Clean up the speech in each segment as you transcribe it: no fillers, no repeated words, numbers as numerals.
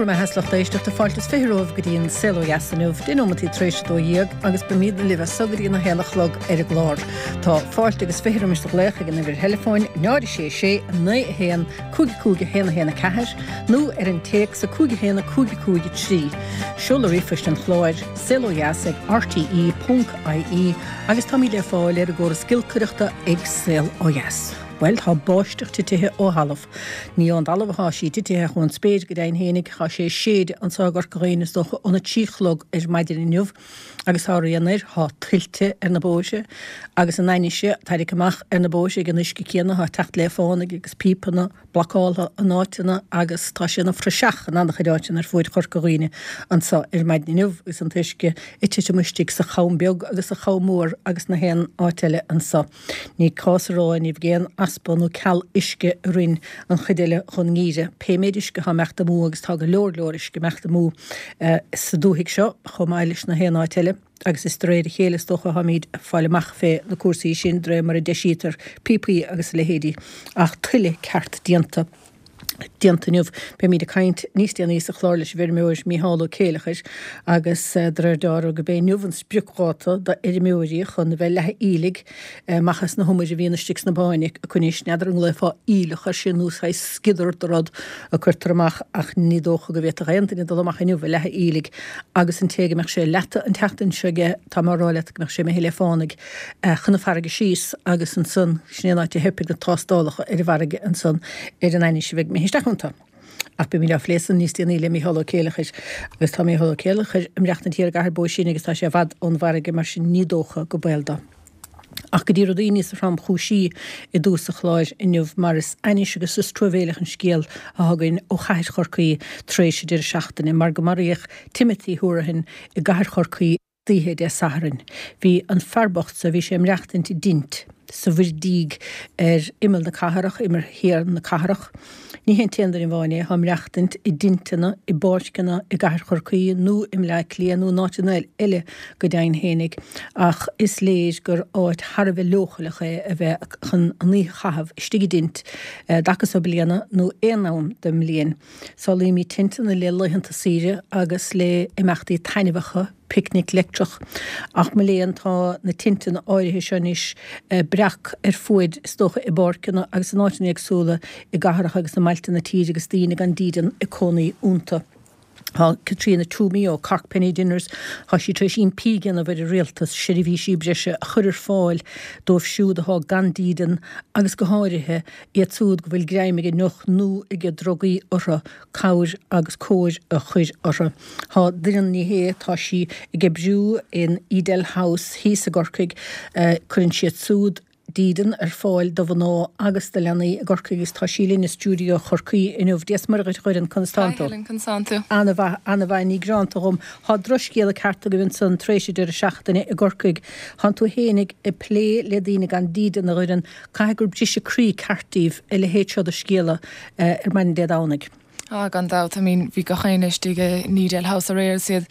Go raibh maith agat a lucht éisteachta, fáilte is 20 romhaibh go dtí an Saol Ó Dheas inniu, 10 nóimeataí tar éis 12 agus beimid libh as so go dtí an 1 a chlog ar an gclár. Tá fáilte agus 20 roimis do ghlaoch ag an uimhir theileafóin 0 6 6 9 1 5 5 1 1 4 nó ar an téacs 5 1 5 5 3. Seoladh ríomhphoist an chláir, saolodheas ag rte.ie agus táimid le fáil ar an gcóras giolcaireachta ag Saol Ó Dheas. Bhuel, tá báisteach titithe ó thalamh. Ní ón dtalamh athá sí titithe ach ón spéir go deimhin fhéinig. Thá sé ag séideadh anso i gCorca Dhuibhne is dócha óna trí chlog ar maidin inniu agus thá rian air, thá tuilte ar na bóithre agus an ainnise tarraicthe amach ar na bóithre ag an uisce céanna, thá teacht le fánaidh agus píopanna blocáltha in áiteanna agus tá sé ina phraiseach in an-chuid áiteanna ar fuaid Chorca Dhuibhne anso ar maidin inniu agus an t-uisce ag titim istigh sa Cham Beag agus sa Cham Mór agus na haon áit eile anso. Ní cás a rá ní bheidh aon easpa nó ceal uisce i rinn an chuid eile dhon ngeimhreadh. Pé méid uisce atá imeacht amú, agus tá go leor leor uisce imeacht amú sa dúthaigh seo chomh maith leis na haon áit eile, agus is de réir a chéile is dócha atáimid ag fáil amach fé na cúrsaí sin de réir mar a deisítear píopaí agus a leithéidí. Ach tuile ceart déanta. déanta inniu. Beimid ag caint níos déanaí sa chlár leis an bhfeirmeoir Mícheál Ó Céileachair agus de réir dealraimh gurb é inniu an spriocdháta d'fheirmeoirí chun a bheith leathadh aoiligh amach as na humair a bhíonn istigh sna báin acu anois. N'fheadar an nglaofá aoileach air sin nó saghas sciodar de rud a cuirtear amach ach ní dócha go bhféadfadh aon duine dul amach inniu ag leathadh aoiligh agus an té go mbeadh sé leata an tseachtain seo aige tá mé á rá leat go mbeadh sé imithe le fánaidh chun na farraige síos agus ansan sin é an áit a theipfidh na tástálacha ar an bhfarraige ansan ar an ainnise a bheidh imithe isteach iontu. Ach beimid á phlé san níos déanaí le Mícheál Ó Céileachair agus tá Mícheál Ó Céileachair ag maireachtaint thiar i gCathair Bó Sine agus tá sé i bhfad ón bhfarraige mar sin ní dócha go baol dó. Ach go dtí rudaí níos thromchúisí i dtús an chláir inniu mar is ainnis agus is truamhéileach an scéal atá againn ó chathair Chorcaí tar éis an deireadh seachtaine mar go maraíodh Timothy Hourihane i gcathair Chorcaí oíche Dé Sathairn. Bhí an fear bocht so, bhí sé ag maireachtaint i dtint sa Mhuirdíog ar imeall na cathrach, imeall thiar na cathrach. Ní hé an t-aon duine amháin é atá ag maireachtaint i dtinteanna, i bpáirceanna i gcathair Chorcaí nó i mBleá Cliath nó in áiteanna eile go deimhin fhéinig, ach is léir gur áit thar a bheith leochaileach é a bheith chun an oíche a chaitheamh istigh i dtint an dtaca so bliana nó aon am den mbliain. Samhlaímid tinteanna le laethanta saoire agus le imeachtaí taitneamhacha, picnic leictreach. Ach mo léan, tá na tinteanna áirithe seo anois breac ar fuaid, is dócha, i bpáirceanna agus in áiteanna éagsúla i gcathracha agus i mbailte na tíre agus daoine gan dídean ag cónaí iontu. Tá Caitríona Twomey ó Cork Penny Dinners, tá sí tar éis impí a dhéanamh ar an rialtas seirbhísí breise a chur ar fáil dóibh siúd atá gan dídean agus go háirithe iad siúd go bhfuil greim ag an ndeoch nó ag drugaí orthu, cabhair agus cóir a chur orthu. Tá Doireann Ní Shé, tá sí ag oibriú in Edel House thíos i gCorcaigh, cuireann siad siúd dídean ar fáil do mhná agus do leanaí i gCorcaigh agus tá sí linn i stiúideo Chorcaí inniu. Dia 's Muire dhuit a Dhoireann, conas tánn tú? Hi Helen, conas tánn tú? Ana-mhaith, ana-mhaith, ní greanta dhom. Thá drochscéala ceart agaibh ansan tar éis an deireadh seachtaine i gCorcaigh. Thánn tú fhéinig ag plé le daoine gan dídean a Dhoireann, Caithfidh gur briseadh croí ceart daoibh a leithéid seo de scéala ar maidin Dé Domhnaigh. Ah, gan dabht. I mean, bhí gach éinne istigh in Edel House aréir agus iad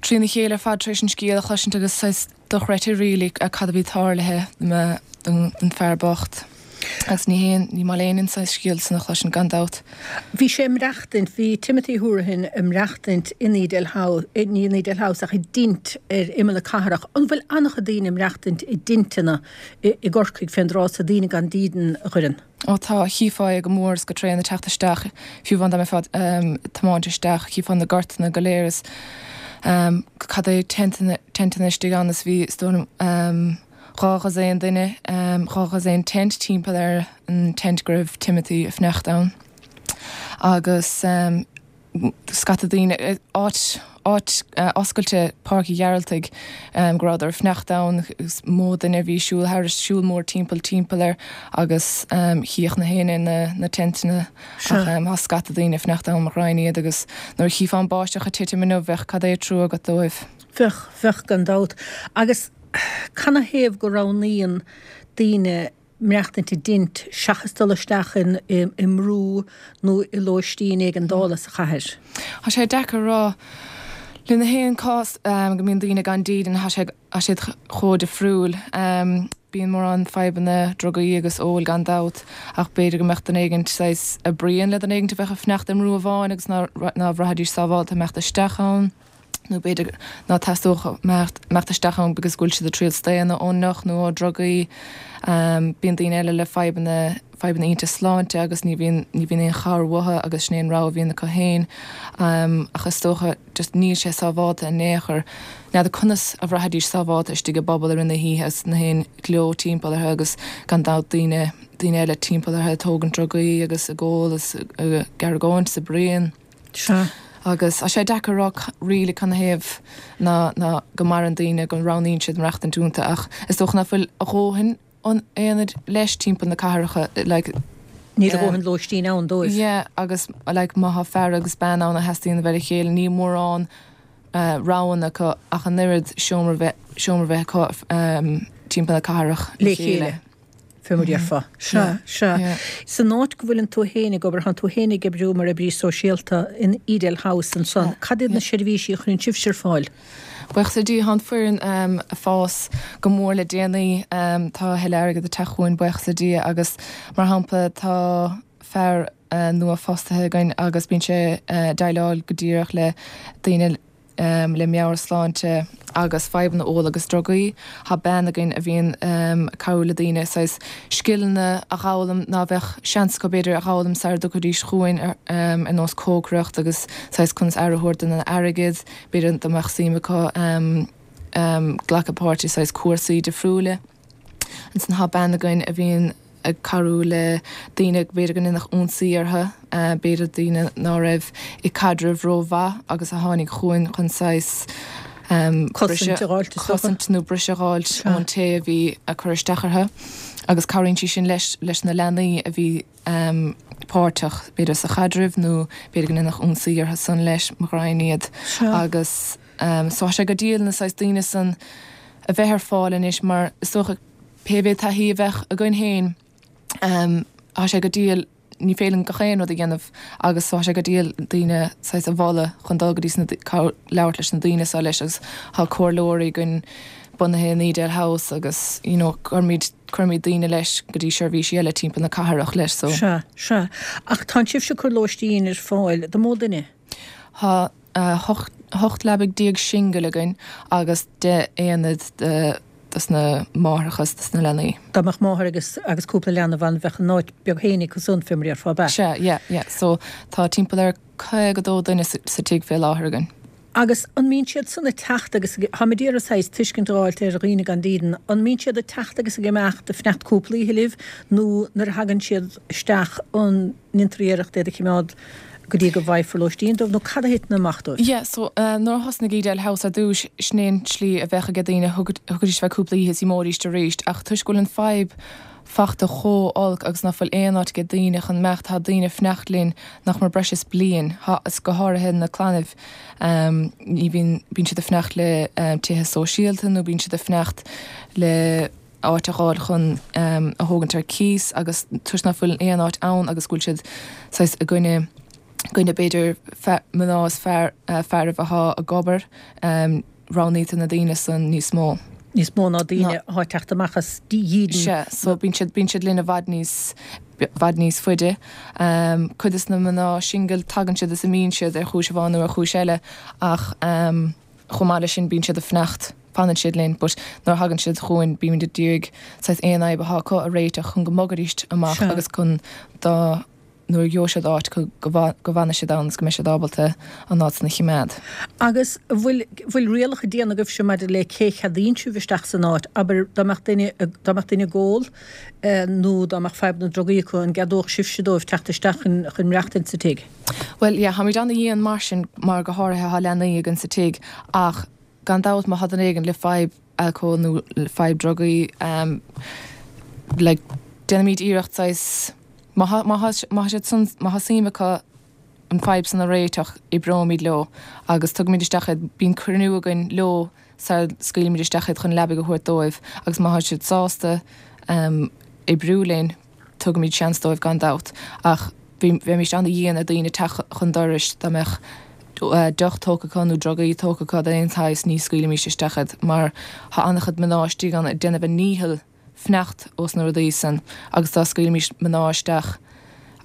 trína chéile ar fad tar éis an scéal a chloisint agus saghas dochreidte really cad a bhí tarlaithe don fear bocht. Agus ní haon, ní maith le éinne an saghas scéal san a chloisint gan dabht. Bhí sé ag maireachtaint, bhí Timothy Hourihane ag maireachtaint in Edel House, ní in Edel House ach i dtint ar imeall na cathrach. An bhfuil an-chuid daoine ag maireachtaint i dtinteanna i gCorcaigh fén dtráth so, daoine gan dídean, a Dhoireann? Ó tá, chífeá é go mór is go tréan ag teacht isteach, fiú amháin dá mbeifeá ag tiomáint isteach, chífeá na gortanna go léir is cad é tenteanna istigh ann is bhí, is dóigh liom, 24 duine, 24 tent timpeall ar an tent go raibh Timothy ag fanacht ann agus scata daoine, áit, áit oscailte, Páirc Uí Ghearaltaigh, go rabhadar ag fanacht ann, is mó duine a bhí ag siúl thairis, siúl mór timpeall timpeall air agus chífeadh na héinne na, na tenteanna ach tá scata daoine ag fanacht ann, mo ghraidhin iad agus nuair a chífeá an báisteach ag titim inniu bheadh cad é trua agat dóibh. Bheadh, bheadh gan dabht. Agus canathaobh go roghnaíonn daoine maireachtaint i dtint seachas dul isteach i mbrú nó i lóistín éigeandála sa chathair? Tá sé deacair a rá. Le na haon cás go mbíonn daoine gan dídean, tá sé, tá siad chomh difriúil. Bíonn mórán fadhbanna drugaí agus óil gan dabht ach b'fhéidir go mbeadh duine éigint saghas a bruíon le duine éigint a bheadh ag fanacht i mbrú amháin agus ná bhraithfidís sábhálta imeacht isteach ann nó b'fhéidir ná teastódh imeacht isteach ann because go bhfuil siad ag triail staonadh ón ndeoch nó ó drugaí. Bíonn daoine eile le fadhbanna fadhbanna ionta sláinte agus ní bhíonn ní bhíonn aon chabhair uathu agus sin é an rogha a bhíonn acu féin. Ach is dócha just níl sé sábhálta in aon chor. N'fheadar conas a bhraithfidís sábhálta istigh i bpuball i rith na hoíche agus na haon ghleo timpeall orthu agus gan dabht daoine, daoine eile timpeall orthu ag tógaint drugaí agus ag ól is ag argóint is ag bruíon. Sea. Agus tá sé deacair a rá really canathaobh ná, ná go maireann daoine, go roghnaíonn siad maireachtaint iontu ach is dócha ná fuil a dhóthain an aonaid leis timpeall na cathracha like. Níl a dhóthain lóistín ann dóibh. Yeah agus like má thá fear agus bean ann a theastaíonn a bheith le chéile níl mórán roghanna acu ach an oiread seomra bheith seomra bheith acu timpeall na cathrach le chéile. Fé mar a déarfá. Sea, sea. San áit go bhfuileann tú féin ag obair, tánn tú féin ag oibriú mar oibrí sóisialta in Edel House ansan. Cad iad na seirbhísí a chuireann sibhse ar fáil? Buíochas le Dia, tá an foireann ag fás go mór le déanaí. Tá a thuilleadh airgid ag teacht chugainn, buíochas le Dia, agus mar shampla tá fear nua fostaithe againn agus bíonn sé ag déileáil go díreach le daoine le meabhairshláinte agus fadhbanna óil agus drugaí. Tá bean againn a bhíonn ag cabhrú le daoine saghas scileanna a dh'fhoghlaim ná bheadh seans acu b'fhéidir a dh'fhoghlaim sara dtiocfaidís chugainn ar nós cócaireacht agus saghas conas aire a thabhairt don airgead. B'fhéidir dá mbeadh suim acu glacadh páirt i saghas cúrsaí difriúla. Ansan tá bean againn a bhíonn ag cabhrú le daoine b'fhéidir go ndéanadh ionsaí orthu, b'fhéidir daoine ná raibh i caidreamh ró-mhaith agus a tháinig chugainn chun saghas Cosaint a dh'fháilt is dócha. Cosaint nó briseadh a dh'fháilt ón té a bhí ag cur isteach orthu agus cabhraíonn sí sin leis leis na leanaí a bhí páirteach, b'fhéidir sa chaidreamh nó b'fhéidir go ndéanadh ionsaí orthu san leis, mo ghraidhin iad. Agus so tá sé go diail na saghas daoine san a bheith ar fáil anois mar is dócha pé mhéad taithí a bheadh againn féin tá sé go diail, ní féidir linn gach aon rud a dhéanamh agus so tá sé go diail daoine saghas a mholadh chun dul go dtí sna, labhairt leis na daoine so leis agus tá comhairleoirí againn bunaithe in Edel House agus you know cuirimid Cuirimid daoine leis go dtí seirbhísí eile timpeall na cathrach leis so. Sea, sea. Ach tánn sibhse ag cur lóistín ar fáil do mó duine? Tá 18 leabaidh singil againn agus 10 aonad dos na máithreacha is dos na leanaí. Dá mbeadh máthair agus agus cúpla leanbh ann bheadh an áit beag féin acu san fé mar a déarfá, ab ea? Sea, yeah, yeah. So tá timpeall ar 52 duine sa tigh fé láthair againn. Agus an mbíonn siad san ag teacht agus ag, táim ag iarraidh saghas tuiscint a dh'fháilt ar dhaoine gan dídean, an mbíonn siad ag teacht agus ag imeacht ag fanacht cúpla oíche libh nó nuair a thagann siad isteach an ndéantar iarracht iad a chimeád go dtí go bhfaighfear lóistín dóibh nó cad a thiteann amach dóibh? Yeah, so nuair a thosnaigh Edel House ar dtúis, sin é an tslí a bheadh aige daoine, thiocfaidís ar feadh cúpla oíche is imeoidís arís ach toisc go bhfuil an fadhb fachta chomh olc agus ná fuil aon áit aige daoine chun imeacht, tá daoine ag fanacht linn nach mór breis is bliain, tá, is go háirithe na clannaibh, ní bhíonn, bíonn siad ag fanacht le tithe sóisialta nó bíonn siad ag fanacht le áit a dh'fháil chun a thógaint ar cíos agus toisc ná fuil aon áit ann agus go bhfuil siad saghas i gcoinne, gcoinne b'fhéidir mná is fear, fearaibh athá ag obair. roghnaítear na daoine san níos mó. Níos mó ná daoine athá ag teacht amach as dídean. Sea, so bíonn siad, bíonn siad linn i bhfad níos, bhfad níos faide. Cuid des na mná singil, tagann siad is imíonn siad ar chúis amháin nó ar chúis eile ach chomh maith leis sin bíonn siad ag fanacht, fanann siad linn but nuair a thagann siad chugainn bímid ag iarraidh saghas aon fhadhb athá acu a réiteach chun go mbogfaidís amach agus chun dá nuair a gheobhaidh siad áit go bhfanfaidh siad ann agus go mbeidh siad ábalta an áit san a chimeád. Agus an bhfuil, bhfuil rialacha déanta agaibhse maidir le cé cheadaíonn sibh isteach san áit? Abair, dá mbeadh duine, dá mbeadh duine ag ól nó dá mbeadh fadhbanna drugaí acu, an gceadódh sibhse dóibh teacht isteach chun, chun maireachtaint sa tigh? Bhuel, yeah, táimid ana-dhian mar sin, mar go háirithe tá leanaí againn sa tigh ach gan dabht má tá duine éigin le fadhb alcóil nó le fadhb drugaí, like, déanaimid iarracht saghas, Má tá, má tá, má tá siad san, má tá suim acu an fadhb san a réiteach, oibreoimid leo agus tugaimid isteach iad, bíonn cruinniú againn leo sara scaoilimid isteach iad chun leabaidh a thabhairt dóibh agus má tá siad sásta oibriú linn, tugaimid seans dóibh gan dabht. Ach bhí, bheimíst ana-dhian ar daoine teacht chun dorais dá mbeadh deoch tógtha acu nó drugaí tógtha acu d'aon tsaghas, ní scaoilimíst isteach iad mar tá an-chuid mná istigh ann ag déanamh a ndícheall. fanacht ós na rudaí san agus dá scaoilfimís mná isteach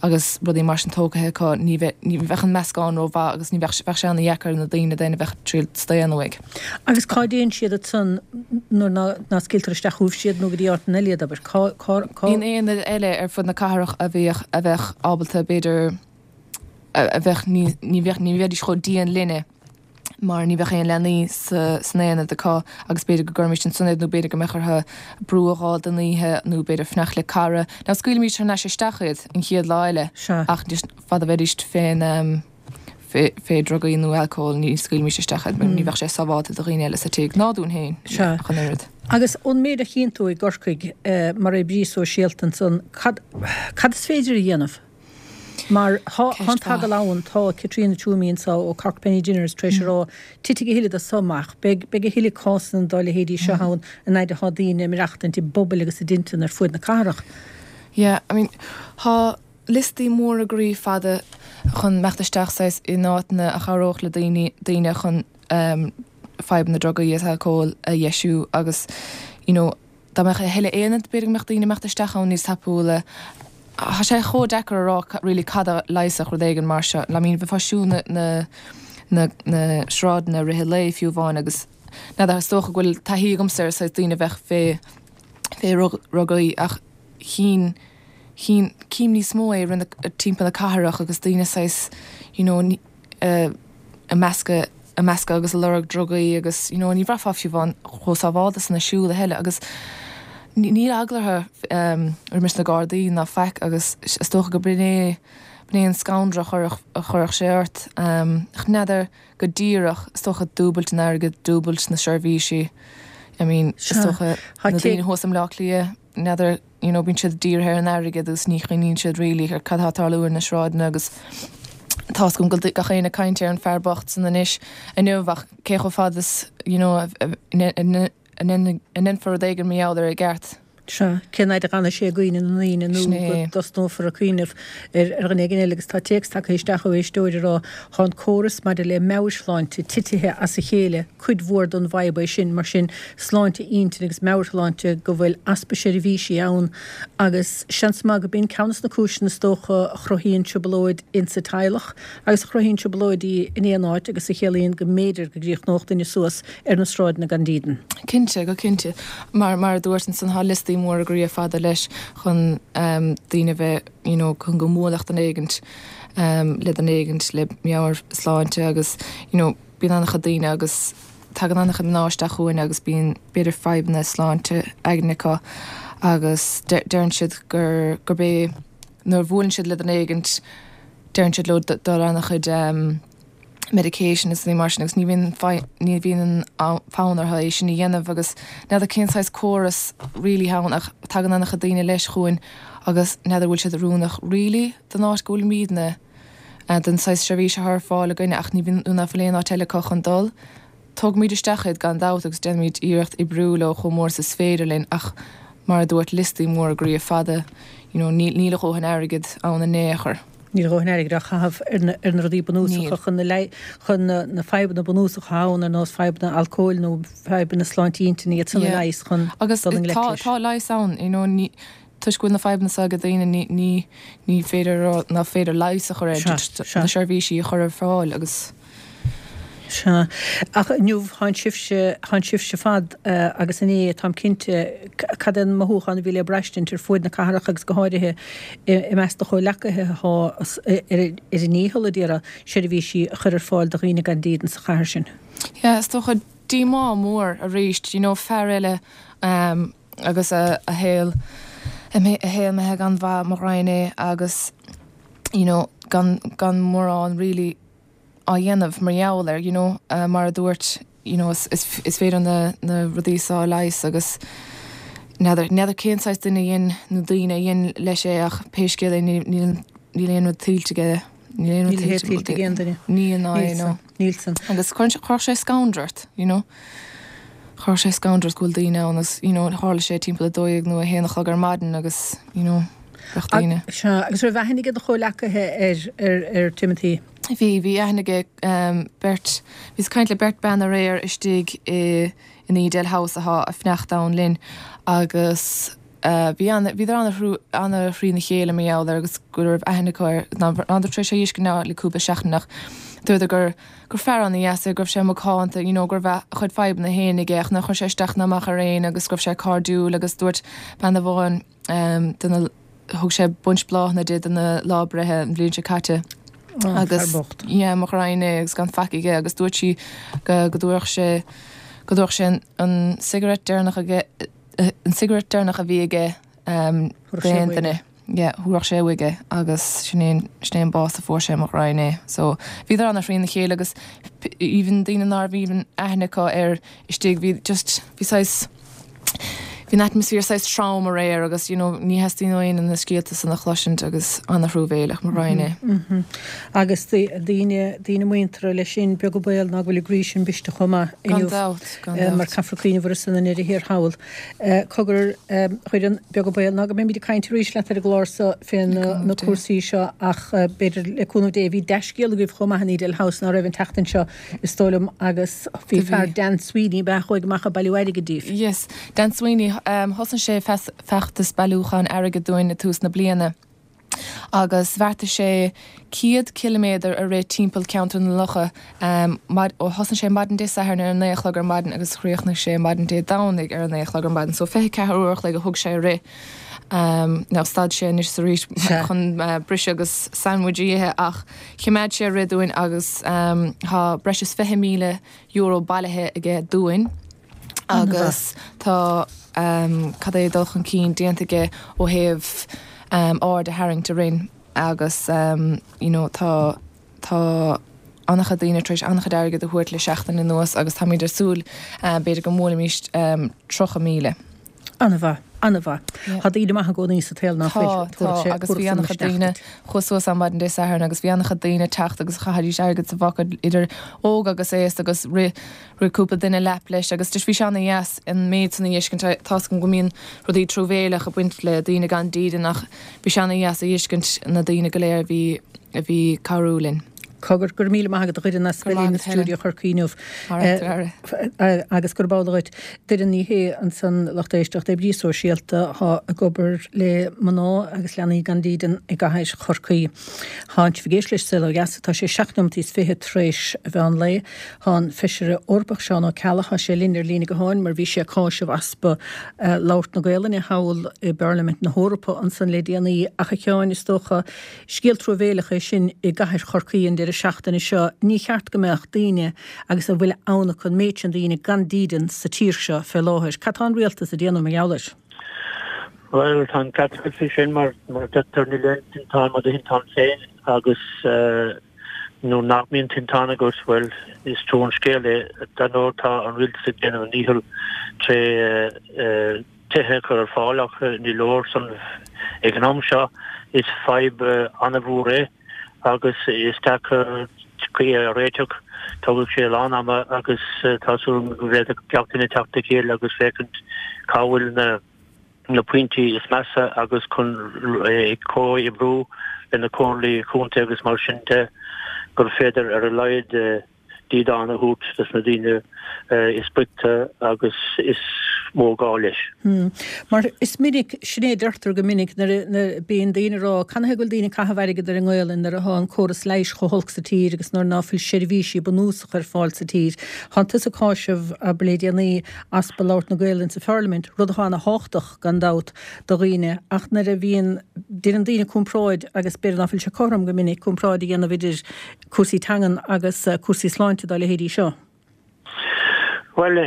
agus rudaí mar sin tógtha acu ní bheadh ní bheadh an meascán ró mhaith agus ní bheadh bheadh sé ana dheacair ar na daoine then a bheadh ag triail staonadh uaidh. Agus cá dtéann siad ansan nuair ná ná scaoiltear isteach chugaibhse iad nó go dtí áiteanna eile iad abair? Cá cá cá. Bíonn aonaid eile ar fud na cathrach a bheadh a bheadh ábalta b'fhéidir a bheadh ní ní bheadh ní bheidís chomh dian linne. mar ní bheadh aon leanaí san aonad acu agus b'fhéidir go gcuirfimís ansan iad nó b'fhéidir go mbeadh orthu brú a dh'fháil don oíche nó b'fhéidir fanacht le cara. Now scaoilimís thar n-ais isteach iad an chéad lá eile ach just fad a bheidís fén fé drugaí nó alcól ní scaoilfimís isteach iad mar ní bheadh sé sábháilte do dhaoine eile sa tigh ná dúinn féin ach an oiread. Agus ón méid a chíonn tú i gCorcaigh mar oibrí sóisialta ansan, cad cad is féidir a dhéanamh? Mar tá an t-eagal ann, tá Caitríona Twomey anso ó Cork Penny Dinners tar éis a rá, titfidh a thuilleadh de so amach, beidh beidh a thuilleadh cásanna dá leithéidí seo ann an fhaid atá daoine ag maireachtaint i bpobail agus i dteinteanna ar fuaid na cathrach. Yeah, I mean, tá liostaí móra groí fada chun imeacht isteach saghas in áiteanna a chabhródh le daoine, daoine chun ehm fadhb na drugaí is alcóil a dheisiú agus you know, Dá mbeadh a thuilleadh aonad, b'fhéidir go mbeadh daoine ag imeacht isteach ann níos tapúla. Tá sé chomh deacair a rá really cad a leigheasfadh rud éigin mar seo. I mean, bheifeá ag siúl na, na, na, na sráideanna i rith an lae fiú amháin agus n'fheadar, is dócha go bhfuil taithí agamsa ar saghas daoine a bheadh fé, fé dhrugaí ach chinn, chinn, cím níos mó é i rith na, timpeall na cathrach agus daoine saghas, you know, ag meascadh ag meascadh agus ag lorg drugaí agus you know ní bhraithfeá fiú amháin chomh sábhálta san ag siúl a thuilleadh agus níl eagla orthu roimis na Gardaí ná faic agus is dócha go b'in é b'in é an scanradh a chuirfeadh a chuirfeadh sé ort. Ach n'fheadar go díreach is dócha dúbailt an airgid, dúbailt na seirbhísí I mean is dócha na daoine thuas i mBleá Cliath n'fheadar you know bíonn siad dírithe ar an airgead agus ní chuimhníonn siad really ar cad atá ag tarlú ar na sráideanna agus tá's agam go bhfuil gach éinne ag caint ar an fear bocht san anois inniu ach cé chomh fada is you know a a ndéanfar rud éigin mar gheall air i gceart. Sea, cén fhaid a fhanfaidh sé i gcuimhne na ndaoine nó go dtosnófar ag cuimhneamh ar dhuine éigin eile agus tá téacs tagtha isteach ó éisteoir ag rá tá an córas maidir le meabhairshláinte titithe as a chéile Cuid mhór don bhfadhb é sin, mar sin, sláinte intinne agus meabhairshláinte, go bhfuil easpa seirbhísí ann agus seans maith go b'in ceann des na cúiseanna is dócha a chruthaíonn trioblóid insa teaghlach agus a chruthaíonn trioblóidí in aon áit agus a chiallaíonn go mb'fhéidir go gcríochnódh duine suas ar na sráideanna gan dídean. Cinnte, go cinnte. Mar, mar a dúirt ansan, tá liostaí móra groí fada leis chun daoine a bheith, you know, chun go mbuailfeadh duine éigint le duine éigint le meabhairshláinte agus, you know, Bíonn an-chuid daoine agus tagann an-chuid mná isteach chugainn agus bíonn b'fhéidir fadhbanna sláinte aigne acu agus deireann siad gur gurb é nuair a bhuaileann siad le duine éigint deireann siad leo dul ar an-chuid medication is rudaí mar sin agus ní bhíonn ní bhíonn an fonn orthu é sin a dhéanamh agus n'fheadar cén saghas córas really ann ach tagann an-chuid daoine leis chugainn agus n'fheadar bhfuil siad oiriúnach really don áit go bhfuilimidne. den saghas seirbhís atá ar fáil againne ach ní bhíonn ná fuil aon áit eile acu chun dul. Tógaimid isteach iad gan dabht agus déanaimid iarracht oibriú leo chomh mór is is féidir linn ach mar a dúirt liostaí móra groí fada you know níl níl a dhóthain airgid ann in aon chor. Níl a dhóthain airgid á chaitheamh ar na ar na rudaí bunúsacha chun na chun na na fadhbanna bunúsacha ann ar nós fadhbanna alcóil nó fadhbanna sláinte intinne iad san a leigheas chun dul i ngleic leis. Agus tá tá leigheas ann you know ní Toisc go bhfuil na fadhbanna seo ag daoine ní, ní, ní féidir a rá nach féidir leigheas a chur air, just na seirbhísí a chur ar fáil agus. Sea. Ach inniu, tháin sibhse, tháin sibhse fad agus inné, táim cinnte, cad é an mothúchán a bhí le braistint ar fuaid na cathrach agus go háirithe i measc do chomhleacaithe atá ar a ndícheall a d'iarraidh seirbhísí a chur ar fáil do dhaoine gan dídean sa chathair sin? Yeah, is dócha díomá mór arís, you know, fear eile, agus a shaol a shaol imithe gan mhaith mo ghraidhin é agus you know gan gan mórán really á dhéanamh mar gheall air you know mar a dúirt you know is is is féidir na na rudaí seo a leigheas agus n'fheadar n'fheadar cén saghas duine a dhein nó daoine a dhein leis é ach pé scéal é níl níl níl aon rud tuillte aige níl aon rud tuillte ag aon duine. Níl ná é no. Níl san. Agus chuirfeadh sé scanradh ort, you know. Chuirfeadh sé scanradh ort go bhfuil daoine ann agus, you know, tharla sé timpeall 12 nó 1 a chlog ar maidin agus, you know, bheadh daoine. Sea, agus raibh aithne ag do chomhleacaithe ar, ar, ar Timothy? Bhí, bhí aithne aige beirt, bhíos ag caint le beirt bean aréir istigh i, in Edel House atá ag fanacht ann linn agus. bhí ana, bhíodar ana, ana thrína chéile mar gheall air agus go raibh aithne acu air, ná rabhadar tar éis é a fheiscint ach le cúpla seachtain ach dúradar gur, gur fear ana dheas é, go raibh sé macánta, you know go raibh a chuid fadhbanna féin aige ach nár chuir sé isteach ná amach ar éinne agus go raibh sé cairdiúil agus dúirt bean amháin de na, thug sé bunch bláthanna di do na lá breithe an bhliain seo caite agus fear bocht. yeah mo ghraidhin é agus gan faic aige agus dúirt sí go go dtabharfadh sé go dtabharfadh sé an an cigarette deireanach aige an cigarette deireanach a bhí aige d'aon duine. Yeah, thabharfadh sé uaidh é agus sin é an, sin é an bás a fuair sé, mo ghraidhin é. So, bhíodar ana thrína chéile agus even daoine ná raibh even aithne acu air istigh, bhí just, bhí saghas, bhí an atmosphere saghas trom aréir agus you know ní theastaíonn ó éinne na scéalta san a chloisint agus ana-thruamhéileach, mo ghraidhin é. Mm-hmm. Agus daoine, daoine muinteartha leis sin, beag an baol ná go bhfuil a gcroí sin briste chomh maith inniu. Gan dabht, gan dabht. Mar caithfear cuimhneamh orthu san i ndeireadh thiar thall. Cogar, a Dhoireann, beag an baol ná go mbeimid ag caint arís leat ar an gclár so fé na cúrsaí seo ach b'fhéidir, le cúnamh Dé, bhí dea-scéal agaibh chomh maith in Edel House ná raibh an tseachtain seo, is dóigh liom, agus bhí fear Dan Sweeney, ab ea, a chuaigh amach ag bailiú airgid daoibh. Yes, Dan Sweeney, thosnaigh sé feachtas bailiúcháin airgid dúinn i tús na bliana. agus bheartaigh sé 100 ciliméadar a rith timpeall Ceantar na Locha. Thosnaigh sé maidin Dé Sathairn ar a naoi a chlog ar maidin agus chríochnaigh sé maidin Dé Domhnaigh ar a naoi a chlog ar maidin. So 24 uair a chloig a thug sé a rith. Now stad sé anois is arís chun briseadh agus sandwich a ithe ach chimeád sé ag rith dúinn agus tá breis is €20,000 bailithe aige dúinn. agus tá cad é dul chun cinn déanta aige ó thaobh aird a tharraingt orainn agus you know tá tá an-chuid daoine tar éis an-chuid airgid a thabhairt le seachtain anuas agus táimid ag súil b'fhéidir go mbuailfimís 30,000. An-mhaith, an-mhaith. Tá daoine maithe i gcónaí sa tsaol, ná fuil? Tá, tá, agus bhí an-chuid daoine, chuas suas ann maidin Dé Sathairn agus bhí an-chuid daoine ag teacht agus chaithidís airgead sa bpocad idir óg agus aosta agus rith Rith cúpla duine lap leis agus just bhí sé ana-dheas an méid san a fheiscint. Tá's agam go mbíonn rudaí truamhéileach ag baint le daoine gan dídean ach bhí sé ana-dheas a fheiscint na daoine go léir a bhí a bhí ag cabhrú linn. Cogar, go raibh míle maith agat a Dhoireann as bheith linn i stiúideo Chorcaí inniu. Agus gurb amhlaidh dhuit. Doireann Ní Shé ansan lucht éisteachta, oibrí sóisialta atá ag obair le mná agus leanaí gan dídean i gcathair Chorcaí. Tánn sibh ag éisteacht leis Saol Ó Dheas, tá sé 7 nóimeataí is 20 tar éis an mheán lae. Tá an Feisire Eorpach Seán Ó Ceallaigh, tá sé linn ar líne gutháin mar bhí sé ag cáiseamh easpa labhairt na Gaolainne thall i bParlaimint na hEorpa ansan le déanaí. Ach a Sheáin, is dócha, scéal truamhéileach é sin i gcathair Chorcaí an deireadh seachtaine seo. Ní cheart go mbeadh daoine, agus a bhfuil ann acu, an méid sin daoine gan dídean sa tír seo fé láthair. Cad tá an rialtas a déanamh mar gheall air? Bhuel, tá an ceart agat faoi sin, mar mar a deirtear níl aon tinteán mar do thinteán féin agus nuair nach mbíonn tinteán agat, bhuel, is trua an scéal é. Dar ndóigh, tá an rialtas ag déanamh a ndícheall tré tithe a chur ar fáil ach ní leor san ag an am seo. Is fadhb an-mhór é agus is deacair é a réiteach. Tógfaidh sé a lán ama agus tá súil agam go bhféadfadh gach duine teacht le chéile agus féachaint cá bhfuil na na pointí is measa agus chun ag comhoibriú le na comhairlí contae agus mar sin de gur féidir ar a laghad dídean a thabhairt dos na daoine is boichte agus is mó gá leis. Mar is minic, sin é a deirtear go minic nuair a bíonn daoine ag rá, canathaobh go bhfuil daoine ag caitheamh airgead ar an nGaolainn nuair atá an córas leighis chomh holc sa tír agus nuair ná fuil seirbhísí bunúsacha ar fáil sa tír. Tánn tusa ag cáiseamh, abair le déanaí, easpa labhairt na Gaolainne sa Pharlaimint, rud atá ana thábhachtach, gan dabht, do dhaoine, ach nuair a bhíonn, déanann daoine comparáid, agus b'fhéidir ná fuil sé cothrom go minic, comparáid a dhéanamh idir cúrsaí teangan agus cúrsaí sláinte dá leithéidí seo. Bhuel,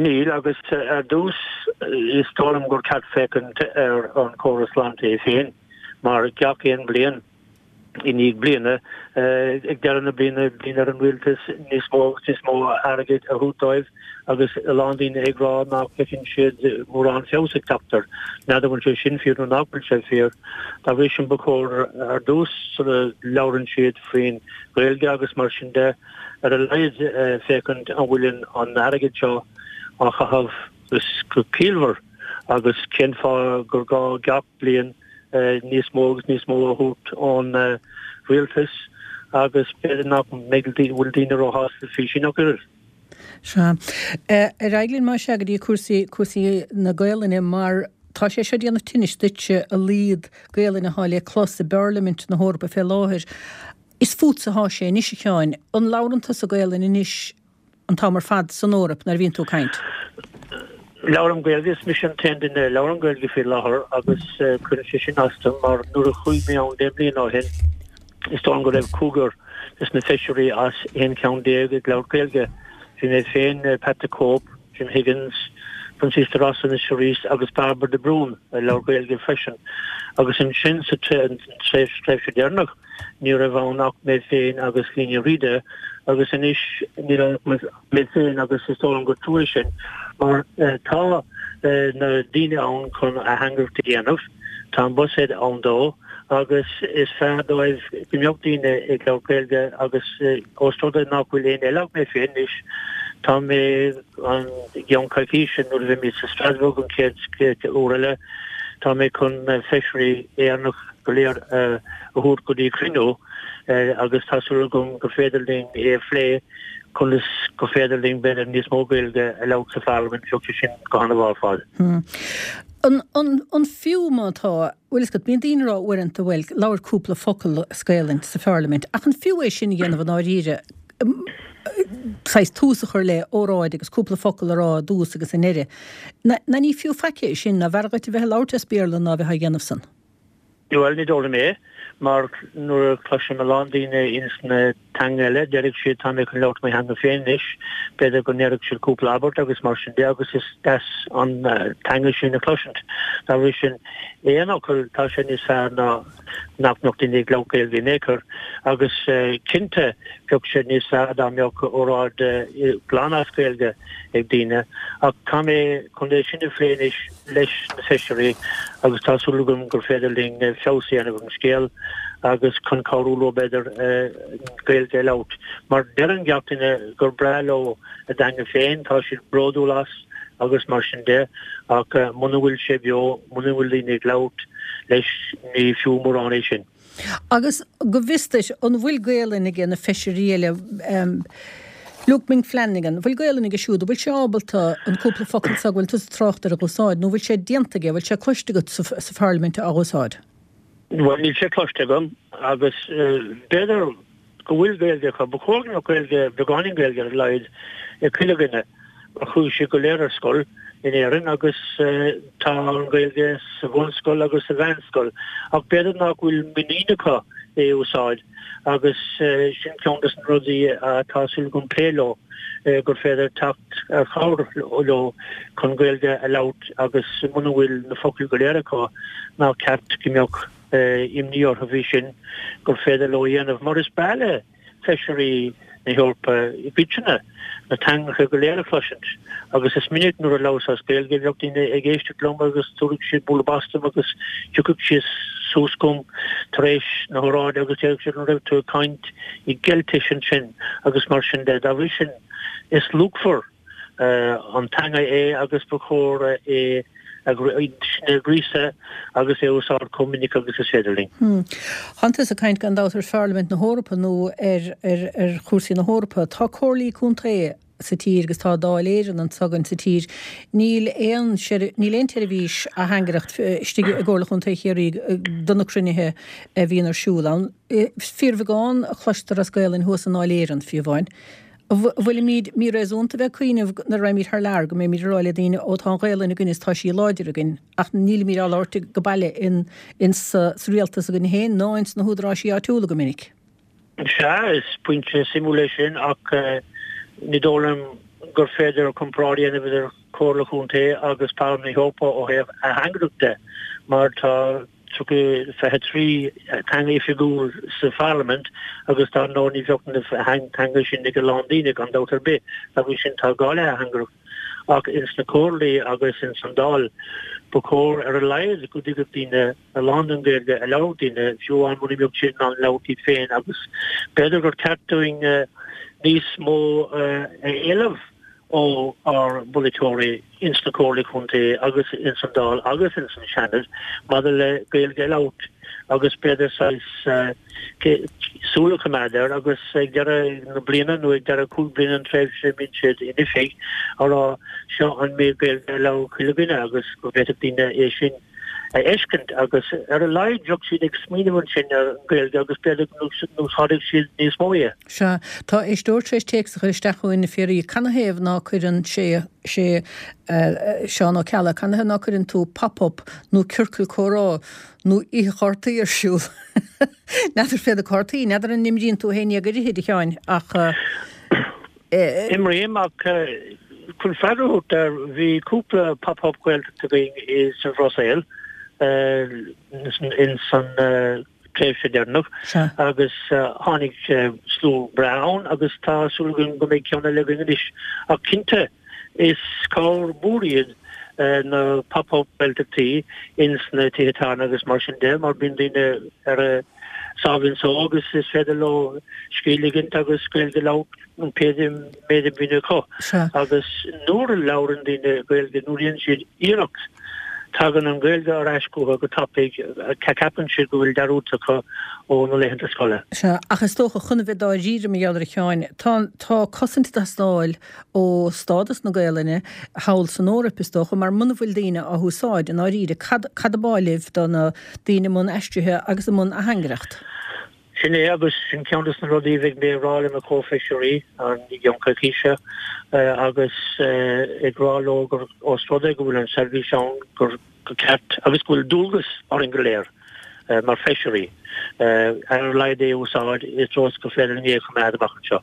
níl, agus ar dtús, is dóigh liom gur ceart féachaint ar an chóras sláinte é féin, mar gach aon bhliain, i ndiaidh bliana, ag deireadh na bliana, bíonn ar an rialtas níos mó agus níos mó airgid a thabhairt dóibh agus a lán daoine ag rá nach bhfeiceann siad mórán feabhas ag teacht air. N'fheadar an bhfuil sé sin fíor nó nach bhfuil sé fíor. Dá bhrí sin ba chóir ar dtús sula labhrann siad faoin Ghaeilge agus mar sin de, ar a laghad féachaint an bhfuil an airgead seo á chaitheamh go ciallmhar agus cén fáth gur gá gach bliain níos mó agus níos mó a thabhairt ón rialtas agus b'fhéidir nach mbeidh bhfuil daoine róshásta faoi sin ach oiread. Sea. Ar aghaidh linn más ea go dtí cúrsaí, cúrsaí na Gaolainne mar. Tá sé seo ag déanamh tinnis duitse, a laghad Gaelainn atá le clos i bParlaimint na hEorpa fé láthair. Is fútsa atá sé anois, a Sheáin. An labhrann tusa Gaelainn anois an t-am ar fad san Eoraip nuair a bhíonn tú ag caint? Labhraím Gaeilge, is mise an t-aon duine a labhrann Gaeilge faoi láthair agus cuireann sé sin as dom mar nuair a chuaigh mé ann deich mbliana ó shin, is dóigh liom go raibh cúigear des na feisirí as 11 ceann ag labhairt Gaeilge. Bhí mé féin, Pat the Cope, Jim Higgins, Proinsias De Rossa anois arís agus Bairbre de Brún ag labhairt Gaeilge freisin. Agus ansin sa tréimhse dheireanach ní raibh ann ach mé féin agus Liadh Ní Riada agus anois níl ann ach mé féin agus is dóigh liom gur trua é sin mar tá na daoine ann chun atheangaireacht a dhéanamh, tá an buiséad ann dó agus is fearr dóibh go mbeadh daoine ag labhairt Gaeilge agus ós rud é nach bhfuil éinne eile ach mé féin anois, tá mé i gceann coicíse nuair a bheimid sa Strasbourg an chéad uair eile, tá mé chun na feisirí Éireannach go léir a thabhairt go dtí cruinniú agus tá súil agam gur féidir linn é a phlé conas gur féidir linn b'fhéidir níos mó Gaeilge a labhairt sa Pharlaimint, bheadh sé sin go han-mhaith ar fad. An fiú má tá, bhfuil fhios agat, bíonn daoine ag rá uaireanta, bhuel, labhair cúpla focal as Gaelainn sa Pharlaimint, ach an fiú é sin a dhéanamh i ndáiríre, saghas tús a chur le óráid agus cúpla focal a rá i dtús agus i ndeireadh? Ná ní fiú faic é sin, ná b'fhearr dhuit a bheith ag labhairt as Béarla ná a bheith á dhéanamh san? Bhuel, ní dóigh liom é, mar nuair a chloisim a lán daoine ins na teanga eile, déarfaidh siad tá mé chun labhairt mo theanga féin anois, b'fhéidir go ndéarfaidh siad cúpla abairt agus mar sin de agus is deas an teanga sin a chloisint. Dá bhrí sin, aon fhocal, tá sé níos fearr ná nach mbeadh daoine ag labhairt Gaeilge in aon chor agus cinnte bheadh sé níos fearr dá mbeadh óráid glan as Gaeilge ag daoine ach tá mé chun é sin a phlé anois leis na feisirí agus tá súil agam gur féidir linn feabhas a dhéanamh ar an scéal agus chun cabhrú leo b'fhéidir Gaeilge a labhairt. Mar deireann gach duine gur breá leo a dteanga féin, tá siad bródúil as agus mar sin de ach muna bhfuil sé beo, muna bhfuil daoine ag labhairt leis ní fiú mórán é sin. Agus go bhfios duit, an bhfuil Gaelainn aige na feisirí eile, Luke Ming Flanagan, an bhfuil Gaelainn aige siúd, an bhfuil sé ábalta an cúpla focal seo go bhfuil tusa ag trácht air a dh'úsáid, nó an bhfuil sé déanta aige, an bhfuil sé cloiste agat sa Pharlaimint á dh'úsáid? Bhuel, níl sé cloiste agam agus b'fhéidir go bhfuil Gaeilge acu. Ba chóir go mbeadh Gaeilge, beagáinín Gaeilge ar a laghad ag chuile dhuine mar chuaigh siad go léir ar scoil in Éirinn agus tá an Ghaeilge sa bhunscoil agus sa mheánscoil ach b'fhéidir nach bhfuil muinín acu é a úsáid agus sin ceann de na rudaí atá súil agam plé leo gur féidir teacht ar chabhair leo chun Gaeilge a labhairt agus muna bhfuil na focail go léir acu nach ceart go mbeadh imní orthu faoi sin gur féidir leo a dhéanamh, mar is breá le feisirí na hEorpa i gcoitinne na teangacha go léir a chloisint agus is minic nuair a labhras as Gaeilge bheadh daoine ag éisteacht liom agus tabharfadh siad bualadh bos dom agus thiocfadh siad suas chugam tar éis na hóráide agus déarfadh siad an raibh tú ag caint i gCeiltis ansin agus mar sin de. Dá bhrí sin is luachmhar an teanga é agus ba chóir é a ghríosadh agus é a úsáid chomh minic agus is féidir linn. Tánn tusa ag caint gan dabht ar Pharlaimint na hEorpa nó ar chúrsaí na hEorpa. Tá comhairlí contae sa tír agus tá Dáil Éireann anseo againn sa tír. Níl aon níl aon tseirbhís atheangaireacht istigh i gComhairle Chontae Chiarraí do na cruinnithe a bhíonn ar siúl ann. Fíorbheagán a chloistear as Gaolainn thuas i nDáil Éireann, fiú amháin. An bhfuilimid míréasúnta a bheith ag cuimhneamh nuair a raghaimid thar lear go mbeimid ag rá le daoine 'Ó tá an Ghaelainn againn is tá sí láidir againn' ach nílimid á labhairt go baile in sa rialtas againn féin ná ins na húdaráisí áitiúla go minic? Sea, is pointe suimiúil é sin ach ní dóigh liom gur féidir comparáid a dhéanamh idir Comhairle Chontae agus Parlaimint na hEorpa ó thaobh atheangaireacht de mar tá 23 teanga oifigiúil sa Pharlaimint agus dar ndóigh ní bheadh na teanga sin ag a lán daoine gan dabht ar bith. Dá bhrí sin tá gá le hatheangaireacht. Ach ins na comhairlí agus ins an Dáil ba chóir ar a laghad go dtuigfeadh daoine a lán den Ghaeilge a labhrann daoine, fiú amháin muna mbeadh siad in ann labhairt iad féin agus b'fhéidir gur ceart dúinn níos mó a éileamh. ó ár bpolaiteoirí ins na Comhairlí Contae agus ins an Dáil agus ins an Seanad maidir le Gaeilge a labhairt agus b'fhéidir saghas súil a choimeád air agus ag deireadh na bliana nó ag deireadh 5 bliana an tréimhse a mbíonn siad in oifig a rá seo an méid Gaeilge a labhair chuile dhuine agus go bhféadfadh daoine é sin a fheiscint agus ar a laghad bheadh siad ag smaoineamh ansin ar an Ghaeilge agus b'fhéidir go n-úsáidfeadh siad níos mó í. Sea, tá éisteoir tar éis téacs a chur isteach chugainn, a Phiaraí, canathaobh ná cuireann sé, sé Seán Ó Ceallaigh, canathaobh ná cuireann tú pop-up nó ciorcal comhrá nó oíche chártaí ar siúl? N'fheadar fé na cártaí, n'fheadar an n-imríonn tú féin iad go háirithe, a Sheáin, ach. Imrím, ach chun freagra a thabhairt air, bhí cúpla pop-up Gaeltacht againn sa Bhruiséil ins an tréimhse deireanach agus tháinig slua breá ann agus tá súil againn go mbeidh ceann eile againn anois. Ach cinnte, is cabhair mhór iad na pop-up Gaeltachtaí ins na tithe tábhairne agus mar sin de mar bíonn daoine ar a sáimhín só agus is féidir leo scéal a ligint agus Gaeilge a labhairt pé méid a bhíonn acu. Agus nuair a labhrann daoine Gaeilge, nuair a dhéanann siad iarracht, tagann an Ghaeilge ar ais chucu go tapaidh, ceapann siad go bhfuil dearúdta acu ó na laethanta scoile. Sea, ach is dócha, chun a bheith dáiríre mar gheall air a Sheáin, tá, tá cosaint ag teastáil ó stádas na Gaelainne thall san Eoraip, is dócha, mar muna bhfuil daoine á húsáid, i ndáiríre, cad, cad ab áil libh do na daoine i mbun aistrithe agus i mbun atheangaireacht? Sin é, agus sin ceann de na rudaí a bheidh mé ag rá le mo chomhfheisirí i gceann coicíse, agus ag rá leo gur os rud é go bhfuil an seirbhís ann, gur ceart, agus go bhfuil dualgas orainn go léir mar feisirí, ar a laghad é a úsáid i dtreo is gur féidir linn é a choimeád amach anseo.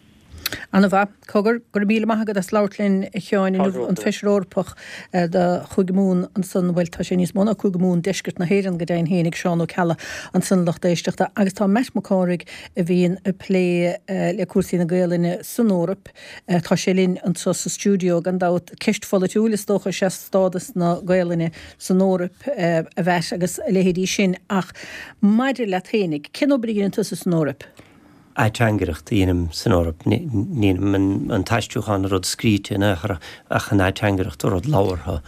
Ana-mhaith. Cogar, go raibh míle maith agat as labhairt linn, a Sheáin, inniu, an Feisire Eorpach do Chúige Mumhan ansan, bhuel, tá sé níos mó ná Cúige Mumhan, deisceart na hÉireann go deimhin féin, ag Seán Ó Ceallaigh ansan, lucht éisteachta. Agus tá Matt Mac Cárthaigh, a bhíonn ag plé le cúrsaí na Gaelainne san Eoraip, tá sé linn anseo sa stiúideo, gan dabht. Ceist pholaitiúil, is dócha, is ea stádas na Gaelainne san Eoraip, a Mhatt, agus a leithéidí sin, ach maidir leat féinig, cén obair a dhéanann tusa san Eoraip? ateangaireacht a dhéanaim san Eoraip. Ní dhéanaim an t-aistriúchán, an rud scríte in aon chor, ach an ateangaireacht, an rud labhartha.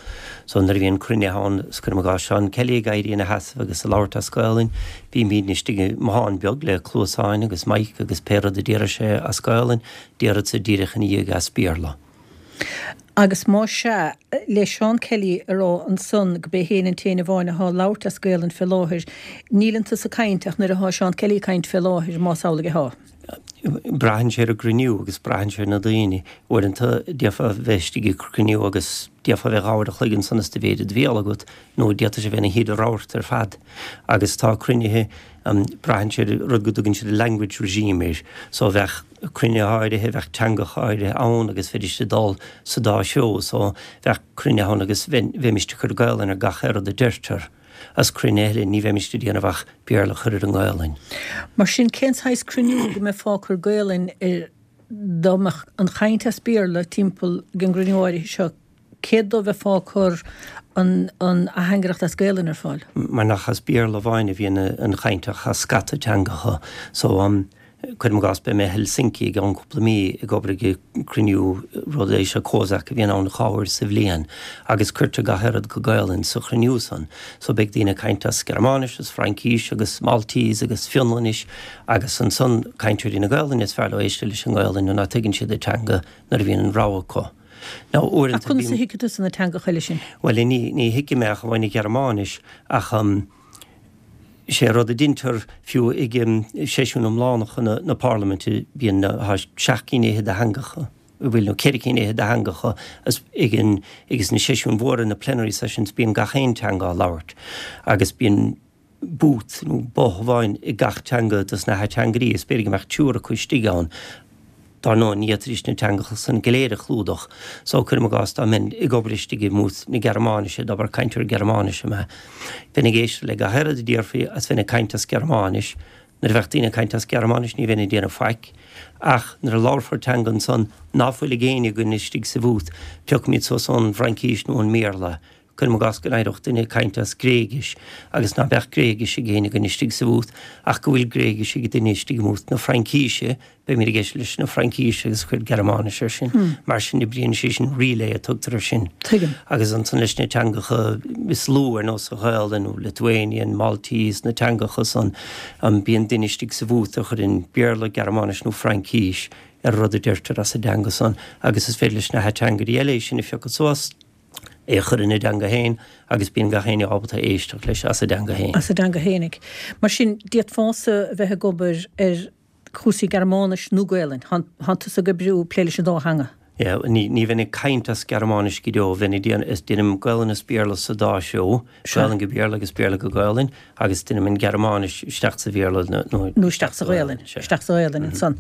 So nuair a bhíonn cruinnithe ann, is cuirim i gcás Seán Kelly ag éirí ina sheasamh agus ag labhairt as Gaolainn, bímidne istigh i mbothán beag le cluasáin agus mic agus pé rud a déarfadh sé as Gaolainn, déarfadsa díreach ina dhiaidh as Béarla. Agus más ea, le Seán Kelly a rá ansan go b'é féin an t-aon amháin athá ag labhairt as Gaolainn fé láthair, níleann tusa ag caint ach nuair athá Seán Kelly ag caint fé láthair, más amhlaidh athá. Braitheann sé ar an gcruinniú agus braitheann sé ar na daoine. Uaireanta d'fhéadfá bheith istigh ag cruinniú agus d'fhéadfá bheith dhá uair a chloig ansan is do mhéid i do bhéal agat nó d'fhéadfadh sé bheith ina thaobh ar fad. Agus tá cruinnithe, braitheann sé ar rud go dtugann siad language regime air. So bheadh. cruinnithe áirithe, bheadh teangacha áirithe ann agus bheidís ag dul sa dá threo so bheadh cruinnithe ann agus bheimist ag cur Gaolainn ar gach aon rud a deirtear. Is cruinnithe eile ní bheimist ag déanamh ach Béarla a chur ar an nGaolainn. Mar sin cén saghas cruinniú go mbeifeá ag cur Gaolainn air dá mbeadh an chaint as Béarla timpeall ag an gcruinniú áirithe seo, céard dó bheifeá ag cur an atheangaireacht as Gaolainn ar fáil? Mar nach as Béarla amháin a bhíonn an chaint ach as scata teangacha so Cuirim i gcás, beidh mé i Helsinki i gceann cúpla mí ag obair ag cruinniú, rud é seo COSAC a bhíonn ann dhá uair sa bhliain agus cuirtear gach aon rud go Gaolainn sa chruinniú san. So beidh daoine ag caint as Gearmáinis, as Fraincís agus Maltese agus Fionlainnis agus ansan cainteoirí na Gaolainne is fearr leo éisteacht leis an nGaolainn nuair ná tuigeann siad an teanga nuair a bhíonn an rogha acu. Now uaireanta Ach conas a thuigfidh tusa na teangacha eile sin? Bhuel ní ní thuigim mé ach amháin an Ghearmáinis ach Is é rud a deintear fiú ag seisiúin iomlánacha na Parlaiminte, bíonn tá seacht gcinn fhichead de theangacha, bhuel nó ceithre cinn fhichead de theangacha ag an, agus na seisiúin mhóra, na plenary sessions, bíonn gach aon teanga á labhairt agus bíonn booth nó both amháin ag gach teanga dos na hateangairí is b'fhéidir go mbeadh triúr acu istigh ann. Dar ndóigh, ní fhéadfaidís na teangacha san go léir a chlúdach, so cuirim i gcás dá mbeinn ag obair istigh i mbooth na Gearmáinise, dá mba cainteoir Gearmáinise mé, bheinn ag éisteacht le gach aon rud a déarfaí agus bheinn ag caint as Gearmáinis. Nuair a bheadh daoine ag caint as Gearmáinis ní bheinn ag déanamh faic, ach nuair a labharfar teanga ansan ná fuil ag éinne againn istigh sa bhooth, piocfaimid suas ón bhFraincís nó ón mBéarla. Cuirim i gcás go n-éireodh duine ag caint as Gréigis agus ná beadh Gréigis ag éinne againn istigh sa bhooth ach go bhfuil Gréigis ag duine istigh i mbooth na Fraincíse, beimid ag éisteacht leis na Fraincíse agus cuir Gearmáinis air sin. Mar sin oibríonn sé sin, relay a tugtar air sin. Tuigim. Agus ansan leis na teangacha is lú ar nós an Ghaelainn nó Lithuanian, Maltese, na teangacha san, bíonn duine istigh sa bhooth a chuireann Béarla, Gearmáinis nó Fraincis ar an rud a deirtear as an dteanga san agus is féidir leis na hateangairí eile é sin a phiocadh suas. é a chur ina dteanga féin agus bíonn gach éinne ábalta éisteacht leis as a dteanga féin. As a dteanga féinig. Mar sin, d'fhéadfása a bheith ag obair ar chúrsaí Gearmáinis nó Gaelainn. Thánn tusa ag oibriú, plé leis an dá theanga. Yeah, ní, ní bheinn ag caint as Gearmáinis go deo, bheinn ag déanamh, is déanaim Gaelainn is Béarla sa dá threo, Gaelainn go Béarla agus Béarla go Gaelainn, agus déanaim an Ghearmáinis isteach sa Bhéarla nó, nó isteach sa Ghaelainn, isteach sa Ghaelainn ansan.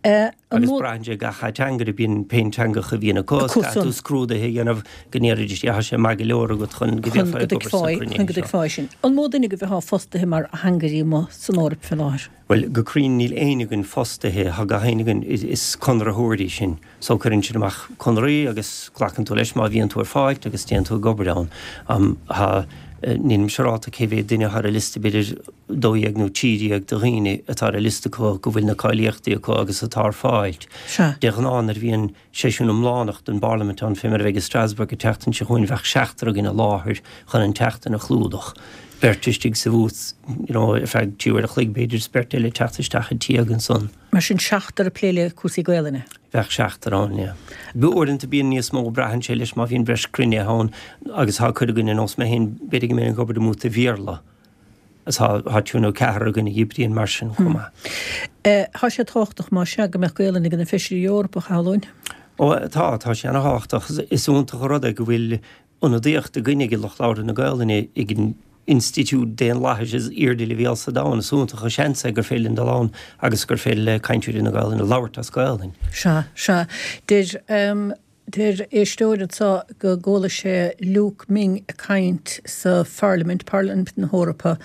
Agus braitheann sé gach ateangaire, bíonn pé teangacha a bhíonn acu, is caithfidh tú scrúduithe a dhéanamh go ndéarfaidís tá sé maith go leor agat chun go bhféadfá ag obair sna cruinnithe seo. Chun go dtuigfeá sin. An mó duine agaibh atá fostaithe mar ateangairí amuigh san Eoraip fé láthair? Bhuel, go cruinn níl éinne againn fostaithe, tá gach éinne againn, is conraitheoirí sinn. So cuireann siad amach conraí agus glacann tú leis má bhíonn tú ar fáil agus téann tú ag obair ann. Tá, nílim siúrálta cé mhéad duine atá ar an liosta, b'fhéidir 12 nó 13 de dhaoine atá ar an liosta acu go bhfuil na cáilíochtaí acu agus atá ar fáil. De ghnáth nuair a bhíonn seisiún iomlánach den bParlaimint ann, fé mar a bheidh i Strasbourg an tseachtain seo chugainn, bheadh seachtar againn i láthair chun an tseachtain a chlúdach. Beirt istigh sa bhooth, you know, ar feadh trí uair a chloig b'fhéidir is beirt eile ag teacht isteach ag tíog ansan. Mar sin, seachtar ag plé le cúrsaí Gaelainne? Bheadh seachtar ann, yeah. Uaireanta bíonn níos mó, braitheann sé leis má bhíonn breis cruinnithe ann agus tá cuid againn ar nós mé féin, b'fhéidir go mbeinn ag obair i mbúta Bhéarla agus tá tá triúr nó ceathrar againn a oibríonn mar sin chomh maith. Tá sé tábhachtach más ea go mbeadh Gaelainn ag na Feisirí Eorpacha, a Shamhlóinn? Ó tá, tá sé ana-thábhachtach. Is iontach an rud é go bhfuil ionadaíocht againn ag lucht labhartha na Gaelainne ag an institiúid daonlathais is airde leibhéal sa domhan. Is iontach an seans é gur féidir linn dul ann agus gur féidir le cainteoirí na Gaelainne labhairt as Gaelainn. Sea, sea. Deir, deir éisteoir anseo go gcuala sé Luke Ming ag caint sa Pharlaimint, Parlaimint na hEorpa,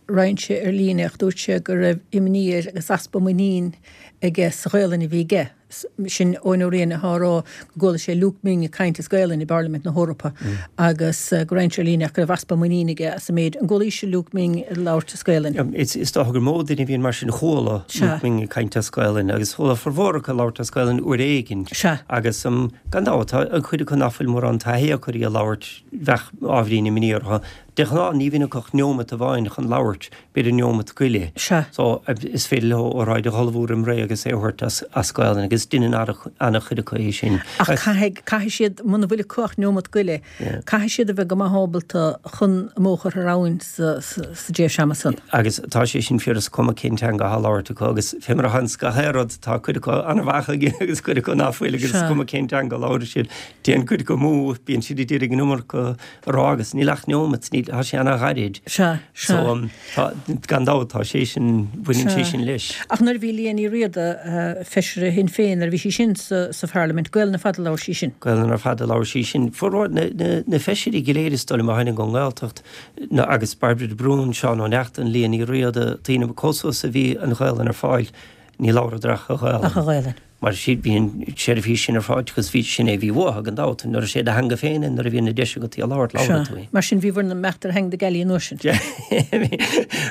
roinn sé ar líne ach dúirt sé go raibh imní air agus easpa muinín aige sa Ghaelainn a bhí aige. Sin Eoin Ó Riain atá á rá go gcuala sé Luke Ming ag caint as Gaelainn i bParlaimint na hEorpa agus go roinn sé ar líne ach go raibh easpa muinín aige as an méid. An gcualaís Luke Ming ag labhairt as Gaelainn? Is dócha gur mó duine a bhíonn mar sin. Chuala Luke Ming ag caint as Gaelainn agus chuala formhór acu ag labhairt as Gaelainn uair éigin. Agus gan dabht, tá an chuid acu nach bhfuil mórán taithí acu ar í a labhairt, bheadh ábhairín imní orthu. De ghnáth ní bhíonn acu ach neomat amháin chun labhairt, b'fhéidir neomat go leith. Sea. So, is féidir leo óráid a dh'ullmhú roim ré agus é a thabhairt as, as Gaelainn agus deineann an-chuid acu é sin. Ach caithfidh, caithfidh siad, muna bhfuil acu ach neomat go leith, caithfidh siad a bheith go maith ábalta chun a mbó a chur thar abhainn sa, sa, sa dtréimhse ama san. Agus tá sé sin fíor is cuma cén teanga atá á labhairt acu agus fé mar atá ins gach aon rud tá cuid acu an-mhaith agus cuid acu ná fuil agus is cuma cén teanga a labhraíonn siad. Téann cuid acu amú, bíonn siad ag iarraidh an iomarca a rá agus níl ach neomat, níl, tá sé ana-ghairid. Sea, sea. So, tá, gan dabht, tá sé sin, baineann sé sin leis. Ach nuair a bhí Liadh Ní Riada, feisire Shinn Féin, nuair a bhí sí sin sa, sa Pharlaimint, Gaelainn ar fad a labhair sí sin. Gaelainn ar fad a labhair sí sin. Formhór na, na, na feisirí go léir is dóigh liom a tháinig ón nGaeltacht, na, agus Bairbre de Brún, Seán Ó Neachtain, Liadh Ní Riada, daoine chomh suas a bhí an Ghaelainn ar fáil, ní labhradar ach an Ghaelainn. Ach an Ghaelainn. Mar sin, bhí an tseirbhís sin ar fáil agus bhí, sin é a bhí uathu, gan dabht. Nuair is é do theanga féin é, nuair a bhíonn an deis agat í a labhairt, labhrann tú í. Mar sin, bhí bhur mbeacht ar theanga na gealaí an uair sin.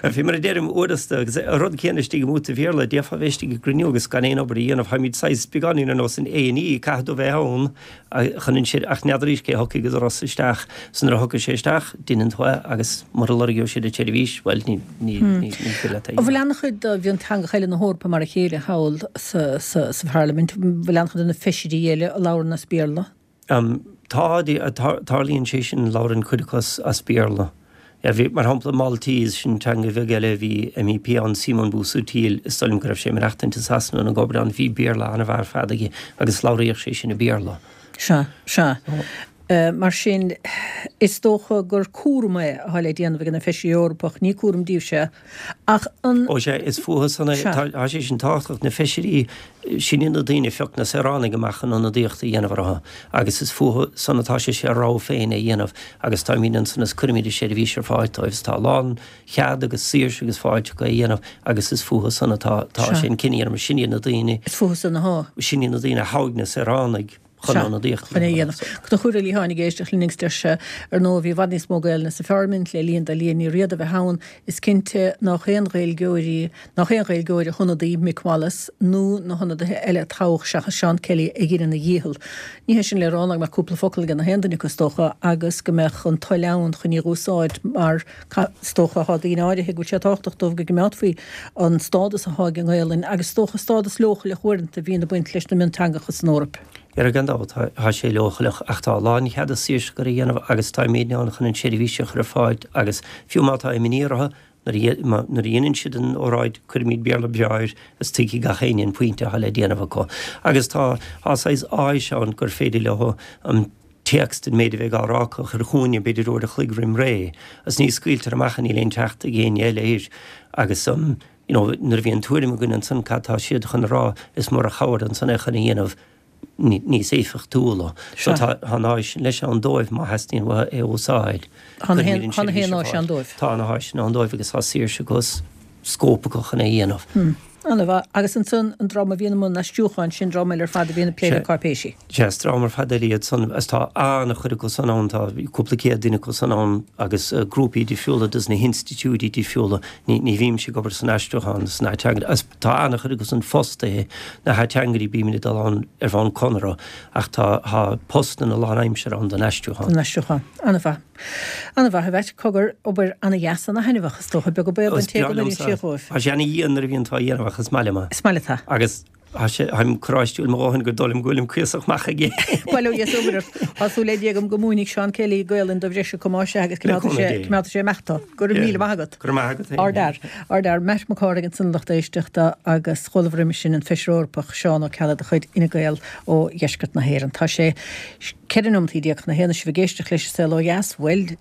Bhí, mar a deirim, uaireanta, agus an rud céanna istigh i mbúta Bhéarla, d'fhéadfá bheith istigh i gcruinniú agus gan aon obair a dhéanamh, táimid saghas beagáinín ar nós an A&E, caithfidh tú bheith ann chun an sir, ach n'fheadaraís cé thiocfaidh an doras isteach. So nuair a thiocfaidh sé isteach, deineann tú é agus mura lorgóidh siad an tseirbhís, bhuel, ní, ní, ní, ní féidir leat é a An bhfuil an-chuid de mhionteangacha eile na hEorpa mar a chéile thall sa, sa, sa Pharlaimint? An bhfuil an-chuid de na feisirí eile a labhrann as Béarla? Tá, tarlaíonn sé sin, labhrann cuid acu as Béarla. Bhí, mar shampla, Maltese, sin teanga bheag eile, bhí MEP ann, Simon Busuttil, is dóigh liom go raibh sé ag maireachtaint i Sasana nó ag obair ann, bhí Béarla an-mhaith ar fad aige agus labhraíodh sé sin i Béarla. Sea, sea. Mar sin, is dócha gur cúram é atá le déanamh ag na Feisirí Eorpach, ní cúram díobhse ach an. Ó sea, is fúthu san é, tá sé sin tábhachtach, na Feisirí, sin iad na daoine a phioc na saoránaigh amach chun ionadaíocht a dhéanamh orthu agus is fúthu san atá sé sé a rogha féin a dhéanamh agus táimid ansan is cuirimid an seirbhís ar fáil dóibh is tá a lán chead agus saoirse agus fáilte acu é a dhéanamh agus is fúthu san atá tá sé an cinneadh a dhéanamh sin iad na daoine Is fúthu san atá. Sin iad na daoine a thogh na saoránaigh. Chun ionadaíocht a dhéanamh. Conchúr Ó Liatháin ag éisteacht linn agus deir sé, Ar ndóigh, bhí i bhfad níos mó Gaelainne sa Pharlaimint le linn do Liadh Ní Riada a bheith ann. Is cinnte nách aon Ghaeilgeoirí, nách aon Ghaeilgeoir a hionadaí Mick Wallace nó na hionadaithe eile a toghadh seachas Seán Kelly a dheineann a dhícheall. Ní hé sin le rá ná go mbeadh cúpla focal ag na haon duine acu is dócha agus go mbeadh an toil ann chun í a dh'úsáid mar Is dócha, thá daoine áirithe go bhfuil sé tábhachtach dóibh go gcimeádfaí an stádas athá ag an nGaelainn agus is dócha stádas leochaileach uaireanta a bhíonn ag baint leis na mionteangacha san Eoraip. Dhera gan dabht, tá sé leochaileach ach tá a lánchead is saoirse acu é a dhéanamh agus táimidne ann chun an tseirbhís a chur ar fáil agus fiú má tá imní orthu nuair a dhéanann siad an óráid cuirimid Béarla breá air is tuigfidh gach éinne an pointe atá le déanamh acu. Agus tá saghas áis ann gur féidir leo an téacs den méid a bheidh á rá acu a chur chugainne, b'fhéidir uair a chloig roim ré, agus ní scaoiltear amach é, níl aon teacht ag éinne eile air. Agus you know nuair a bhíonn tuairim againn ansan cad tá siad chun a rá, is mór an chabhair ansan é chun a dhéanamh níos éifeachtúla. So tá an áis sin leis ann dóibh má theastaíonn uathu é a úsáid. Tá na haon áis ann dóibh. Tá na háiseanna ann dóibh agus tá saoirse agus scóip acu chun é a dhéanamh. An-mhaith. Agus ansan an dream a bhíonn i mbun aistriúcháin, sin dream eile ar fad a bhíonn ag plé le cáipéisí. Sea, is dream ar fad eile iad san agus tá an-chuid acu san ann, tá cúpla céad duine acu san ann agus grúpaí difriúla dos na hinstitiúidí difriúla. Ní, ní bhímse ag obair san aistriúchán sna hateangairí agus tá an-chuid acu san fostaithe, na hateangairí bímid ag dul ann ar bhonn conradh ach tá, tá postanna lánaimseartha ann don aistriúchán. Don aistriúchán. An-mhaith. An-mhaith, a Mheait. Cogar, obair ana-dheas, ana-thaitneamhach, is dócha, beag an baol don té go n-oireann sí dhóibh. Tá sé ana-dhian nuair a bhíonn tú á dhéanamh ach is maith liom é. Is maith leat é. Agus tá sé, táim coráistiúil mo dhóthain gur dóigh liom go bhfuilim cuíosach maith aige. Bail ó Dhia is obair ort. Tá súil le Dia agam go múinfidh Seán Kelly Gaolainn do bhreis acu más ea agus coimeádfaidh sé, coimeádfaidh sé amach tú. Go raibh míle maith agat. Go raibh maith agat féin. Ardfhear. Ardfhear. Matt Mac Cárthaigh ansan a lucht éisteachta agus chualamar roimis sin an Feisire Eorpach Seán Ó Ceallaigh de chuid Fhine Gael ó dheisceart na hÉireann. Tá sé. 14 nóimeataí chun a haon is sibh ag éisteacht leis an Saol Ó Dheas, bhuel,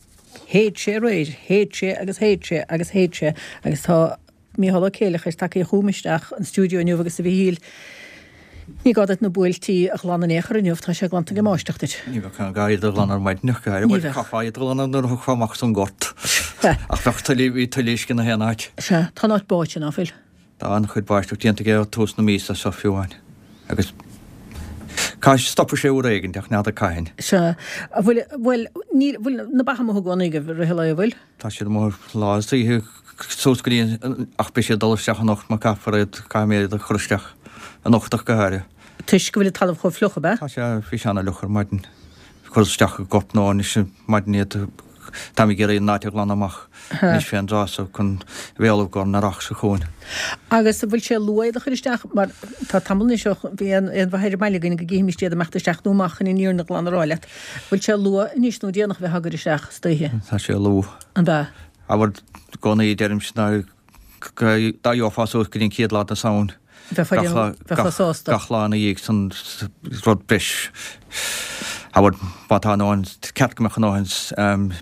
shéid sé aréir, shéid sé agus shéid sé agus shéid sé agus tá Mícheál Ó Céileachair tagtha chugam isteach an stiúideo inniu agus a Mhíchíl, ní gá duit na buailtí a ghlanadh in aon chor inniu, tá sé glanta ag an mbáisteach duit. Ní bheadh aon ghá iad a ghlanadh ar maidin ach go háirithe, bhuel, chaithfeá iad a ghlanadh nuair a thiocfá amach as an ngort ach bheadh tuilleadh, bhí tuilleadh uisce 'na haon áit. Sea, tá an áit báite, ná fuil? Tá an-chuid báisteach déanta aige ó tús na míosa seo fiú amháin agus caithfidh, stopfaidh sé uair éigin ach n'fheadar cathain. Sea. An bhfuil, bhuel, níl, bhfuil na ba amuigh i gcónaí agaibh i rith an lae, an bhfuil? Tá siad amuigh lá is oíche suas go dtí an, ach beidh siad ag dul isteach anocht mar caithfear iad, caithfidh mé iad a chur isteach anocht ach go háirithe. Toisc go bhfuil an talamh chomh fliuch, ab ea? Tá sé, bhí sé ana-fhliuch ar maidin. Cur isteach i gcorp nó anois ar maidin iad. Táim ag iarraidh an áit a ghlanadh amach anois fén dtráth so chun a bheith ullamh i gcomhair an earrach seo chugainn. Agus an bhfuil sé luath iad a chur isteach? Mar tá tamall anois ó bhí aon mhaith ar an mbaile againn go gcífimis iad ag imeacht isteach nó amach chun an fhírinne ghlan a rá leat. Bhfuil sé luath anois nó déanach a bheith á gcur isteach istoíche? Tá sé luath. An ea? Abair i gcónaí deirimse ná dá gheofá suas go dtí an chéad lá de Samhain, Bheifeá sásta. gach lá ina dhiaidh san rud breis. Abair, má tá a ndóthain, ceart go mbeadh a ndóthain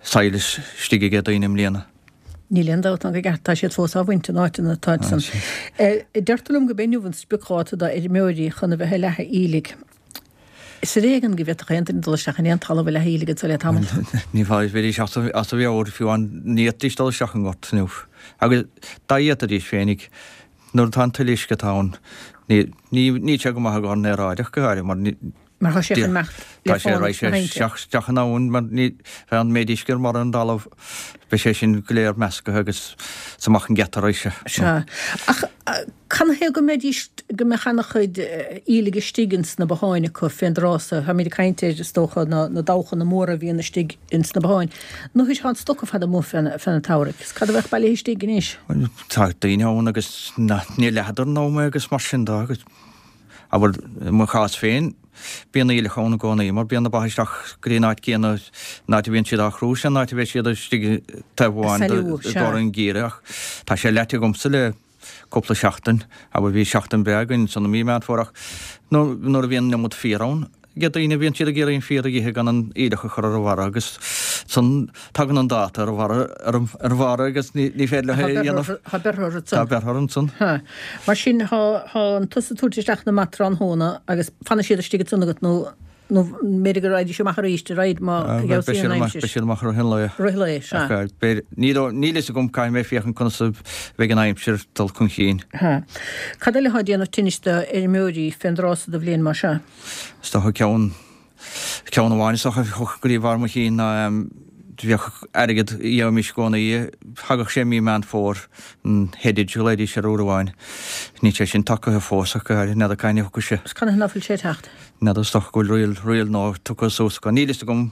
saill istigh aige daoine i mbliana. Níl aon dabht ná go gceart, tá siad fós á bhaint in áiteanna atá san. Deirtear liom go b'é inniu an spriocdháta d'fheirmeoirí chun a bheith ag leathadh aoiligh. Is ar éigean go bhféadfadh aon duine dul isteach in aon talamh a leathadh aoiligh anso le tamall. Ní bheidís as a mheabhair fiú amháin, ní fhéadfaidís dul isteach i ngort inniu. Agus dá bhféadfaidís féinig, nuair atá an tuile uisce atá ann, níl sé go maith i gcomhair an aeráid ach go háirithe mar ní, Mar tá sé chun imeacht le fánacht na hainte. Tá sé isteach in abhainn mar ní bheidh an méid uisce ar an dtalamh, beidh sé sin go léir measctha agus is amach an geata raghaidh sé. Sea. Ach Canathaobh go mbeidís, go mbeadh ana-chuid aoiligh istigh ins na botháin acu fén dtráth so? Táimid ag caint ar, is dócha, na, na dabhchanna móra a bhíonn istigh ins na botháin. Nuair atá an stoc ar fad amuigh fén, fén tsamhraidh. Is cad a bheadh bailithe istigh anois? Bhuel, tá daoine ann agus na, níor leathadar an am é agus mar sin de agus, abair, i mo chás féin, bíonn aoileach ann i gcónaí mar bíonn na ba isteach go dtí an áit céanna, an áit a bhíonn siad á chrú, sin an áit a bheidh siad istigh taobh amháin de, i gcomhair an gheimhridh ach tá sé leaite agamsa le cúpla seachtain, abair bhí seachtain breá againn ansan i mí Meán Fómhair ach nuair a bhíonn an iomad féar ann, ag daoine, bíonn siad ag iarraidh an féar a dh'ithe gan an aoileach a chur ar a bharra agus ansan tagann an dáta ar a bharra, ar a bharra agus ní féidir leo é a dhéanamh. Tá beirthe orthu ansan. Tá beirthe orthu ansan. Tá. Mar sin, tá, tá tusa ag tabhairt isteach na mba tráthnóna agus fanfaidh siad istigh ansan agat nó? Nó b'fhéidir go raghaidís amach arís ar aghaidh má fheabhsaíonn an aimsir. Beidh siad amach i rith an lae. Rith an lae, sea. Ach b'fhéidir, níl fhios agam, caithfidh mé féachaint conas a bheidh an aimsir ag dul chun cinn. Sea. Cad eile atá ag déanamh tinnis do fheirmeoirí fén dtráth so de bhliain mar seo? Is dócha ceann, ceann amháin is dócha a thiocfadh go dtí bharr mo chinn ná bheadh airgead a gheobhaimis i gcónaí, thagadh sé mí Meán Fómhair, an headage a ghlaoidís air uair amháin. Níl sé sin tagtha fós ach n'fheadar cathain a thiocfaidh sé. Is canathaobh ná fuil sé ag teacht? N'fheadar, is dócha go bhfuil riail, riail nua tugtha suas acu. Níl fhios agam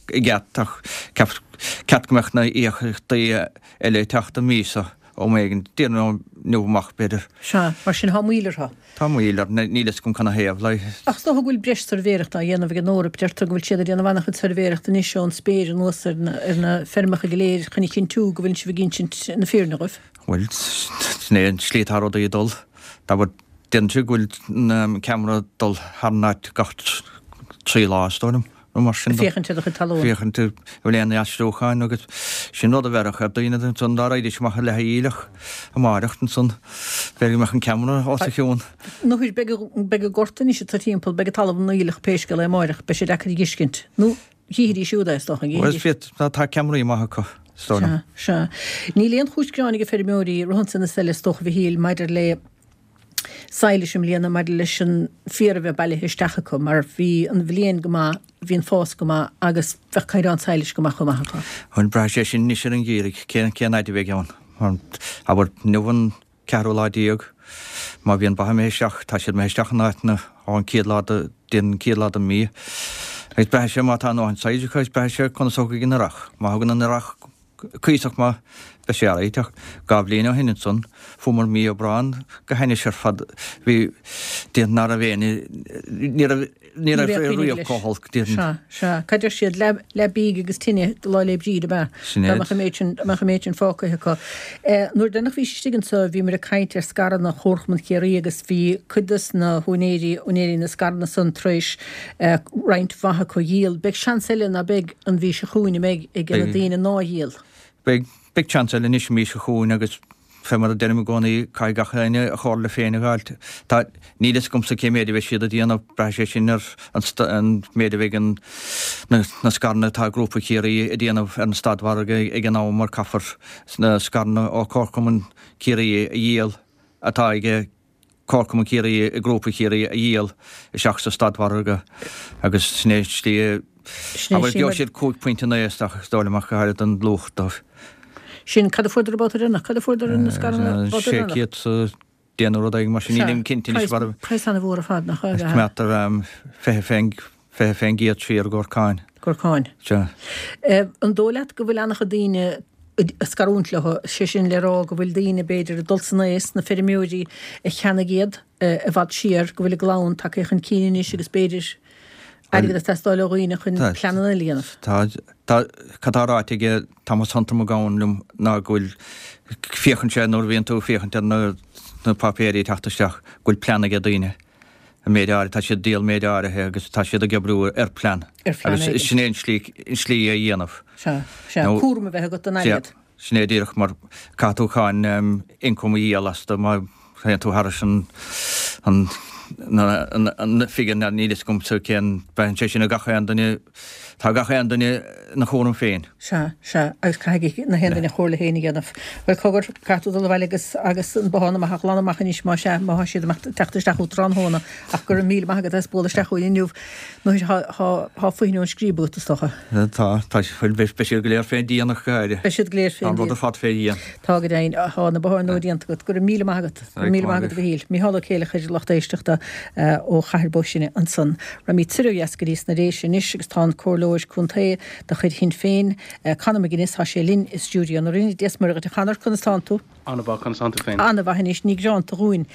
i gceart ach ceap, ceart go mbeadh na íocaíochtaí eile ag teacht an mí seo am éigin, déarfainn inniu amach b'fhéidir. Sea, mar sin thá moill orthu. Tá moill orthu, níl fhios agam canathaobh, like. Ach is dócha go bhfuil breis suirbhéireachta á dhéanamh ag an Eoraip, deirtear go bhfuil siad ag déanamh an-chuid suirbhéireachta anois ón spéir anuas ar na, ar na feirmeacha go léir chun a chinntiú go bhfuil sibh ag insint na fírinne dhóibh. Bhuel, sin é an tslí atá rudaí ag dul. Abair, Deireann siad go bhfuil an ceamara ag dul thar an áit gach 3 lá, is dóigh liom, nó mar sin de. Féachaint ar do chuid talún. Féachaint an bhfuil aon aistriúcháin agus sin rud a bheirfeadh ar daoine ansan dá raghaidís amach i leath a aoileach amáireach ansan, b'fhéidir go mbeadh an ceamara os a chionn. Nuair beidh beidh an gort anois atá timpeall, beidh an talamh ina aoileach pé scéal é amáireach, beidh sé deacair a dh'fheiscint. Nó chífidís siúd é, is dócha, an gcífidís? Bhuel, tá ceamaraí maith acu, is dóigh liom. Sea, sea. Níl aon chúis gearáin ag feirmeoirí rith ansan is eile, is dócha, a Mhichíl, maidir le sadhlais i mbliana maidir leis an féar a bheith bailithe isteach acu mar bhí an bhliain go maith, bhí an fás go maith agus bheadh caighdeán sadhlais go maith chomh maith acu. Bhuel, braithfidh sé sin anois ar an gheimhreadh, cén cén fhaid a bheidh ann. Mar, abair, inniu an ceathrú lá déag, má bhíonn ba imithe isteach, tá siad imithe isteach in áiteanna ón chéad lá de, den chéad lá den mhí. Agus braithfidh sé má tá a ndóthain sadhlais acu agus braithfidh sé conas a thiocfaidh an earrach. Má thagann an earrach cuíosach maith, beidh sé alright ach 2 bhliain ó shin ansan fuamar mí Aibreán go hainnis ar fad bhí déarfainn ná raibh aon ní raibh ní raibh riamh chomh holc déarfainn. Sea, sea. Cad deir siad, leath leath bídh agus tine do Lá 'le Bríde ab ea? Sin Dá é. mbeadh an méid sin, dá mbeadh an méid sin fágtha acu. Nuair deireanach bhís istigh anso bhíomar ag caint ar scaireanna Chomharchumann Chiarraí agus bhí cuid dos na húinéirí, úinéirí na scaireanna san tar éis roinnt mhaith acu a dhíol. Beidh seans eile ná beidh an mhí seo chugainn, an mbeidh, ag na daoine ná dhíol? Beidh, beidh seans eile anois an mhí seo chugainn agus fé mar a deirim i gcónaí, caithfidh gach éinne a chomhairle féin a dh'fháilt. Tá, níl fhios agamsa cé méid a bheidh siad a déanamh, braithfidh sé sin ar an, an méid a bheidh an, na, na scaireanna atá ag Grúpa Chiarraí a déanamh ar an stadmhargadh ag an am mar caithfear na scaireanna ó Chomharchumann Chiarraí a dhíol atá ag Comharchumann Chiarraí i nGrúpa Chiarraí a dhíol isteach sa stadmhargadh agus sin é an tslí a abair gheobhaidh siad 5.9 isteach is dóigh liom ach go háirid an luach dóibh. Sin, cad a fuaireadar an babhta deireanach? Cad a fuaireadar na scaireanna an babhta deireanach? 600 sa déanamh rud éigin mar sin, nílim cinnte anois mar a. Praghas an-mhór ar fad, nach ea? Coimeádtar 20 fén 20% siar i gcomhair cáin. Gcomhair cáin. Sea. An dóigh leat go bhfuil an-chuid daoine ag scarúint leo, sé sin le rá go bhfuil daoine, b'fhéidir, ag dul san aos, na feirmeoirí a cheannaigh iad i bhfad siar, go bhfuil a gclann tagtha chun cinn anois agus b'fhéidir airgead ag teastáil ó dhaoine chun pleananna eile a dhéanamh? Tá, tá, cad tá ráite ag Thomas Hunter Mac Gabhann liom ná go bhfuil, féachann sé nuair a bhíonn tú ag féachaint ar na, na páipéirí ag teacht isteach, go bhfuil plean ag daoine. an méid áirithe, tá siad ag díol méid áirithe agus tá siad ag oibriú ar plean. Ar phlean Agus éigin. sin é an slí, an slí a dhéanamh. Sea, sea, Nó- cúram a bheith agat don Sea, airgead. sin é díreach mar caithfidh tú cáin ioncam a dhíol astu má théann tú thairis an, an, na, an, an figure, níl fhios agamsa cén, braitheann sé sin ar gach aon duine, Tá gach aon duine ina chúram féin. Sea, sea, agus caithfidh na haon duine a chomhairle féin a dhéanamh. Bhuel, cogar, caithfidh tú dul abhaile agus, agus an bothán amach a ghlanadh amach anois, má sea, má thá siad amach, teacht isteach uait tráthnóna, ach go raibh míle maith agat as bualadh isteach chugainn inniu. Nó thá, thá, thá foighne ón scríob agat, is dócha. Tá, tá, bhuel, beidh, beidh siad go léir fén díon ach go háirithe. Beidh siad go léir Tá fén an rud díon. ar fad fé dhíon. Tá go deimhin, thá na botháin nua déanta agat. Go raibh míle maith agat. Go raibh míle maith agat, a Mhichíl. Mícheál Ó Céileachair, lucht éisteachta ó Chathair Bó Sine ansan. Raghaimid soir ó dheas go dtí sna Déise anois agus tá an Comhairleoir Contae de chuid Shinn Féin, Conor McGuinness, tá sé linn i stiúideo na Rinne. Dia 's Muire dhuit a Chonor, conas tánn tú? An-mhaith, conas tánn tú féin? An-mhaith anois, ní gearánta dhúinn.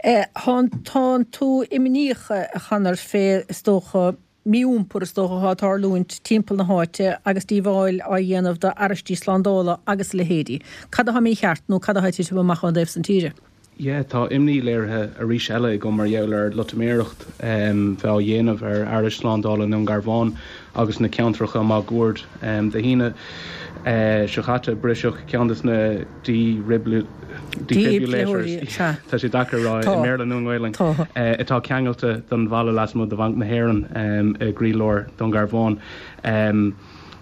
Tánn tú imníoch, a Chonor, fé, is dócha, mí-iompar is dócha atá ag tarlúint timpeall na háite agus díobháil á dhéanamh do fhearaistí slándála agus a leithéidí. Cad atá mícheart nó cad atá ag titim amach ón dtaobh san tíre? Yeah, tá imní léirithe arís eile agam mar gheall ar loitiméireacht bheith á dhéanamh ar fhearais slándála i nDún Garbhán agus na ceantracha máguaird. Dé hAoine. seo chaite briseadh ceann de na defibrillators, tá sé deacair a rá i mBéarla nó i nGaelainn, atá ceangailte don bhalla lasmuigh de Bhanc na hÉireann i gcroílár Dún Garbhán.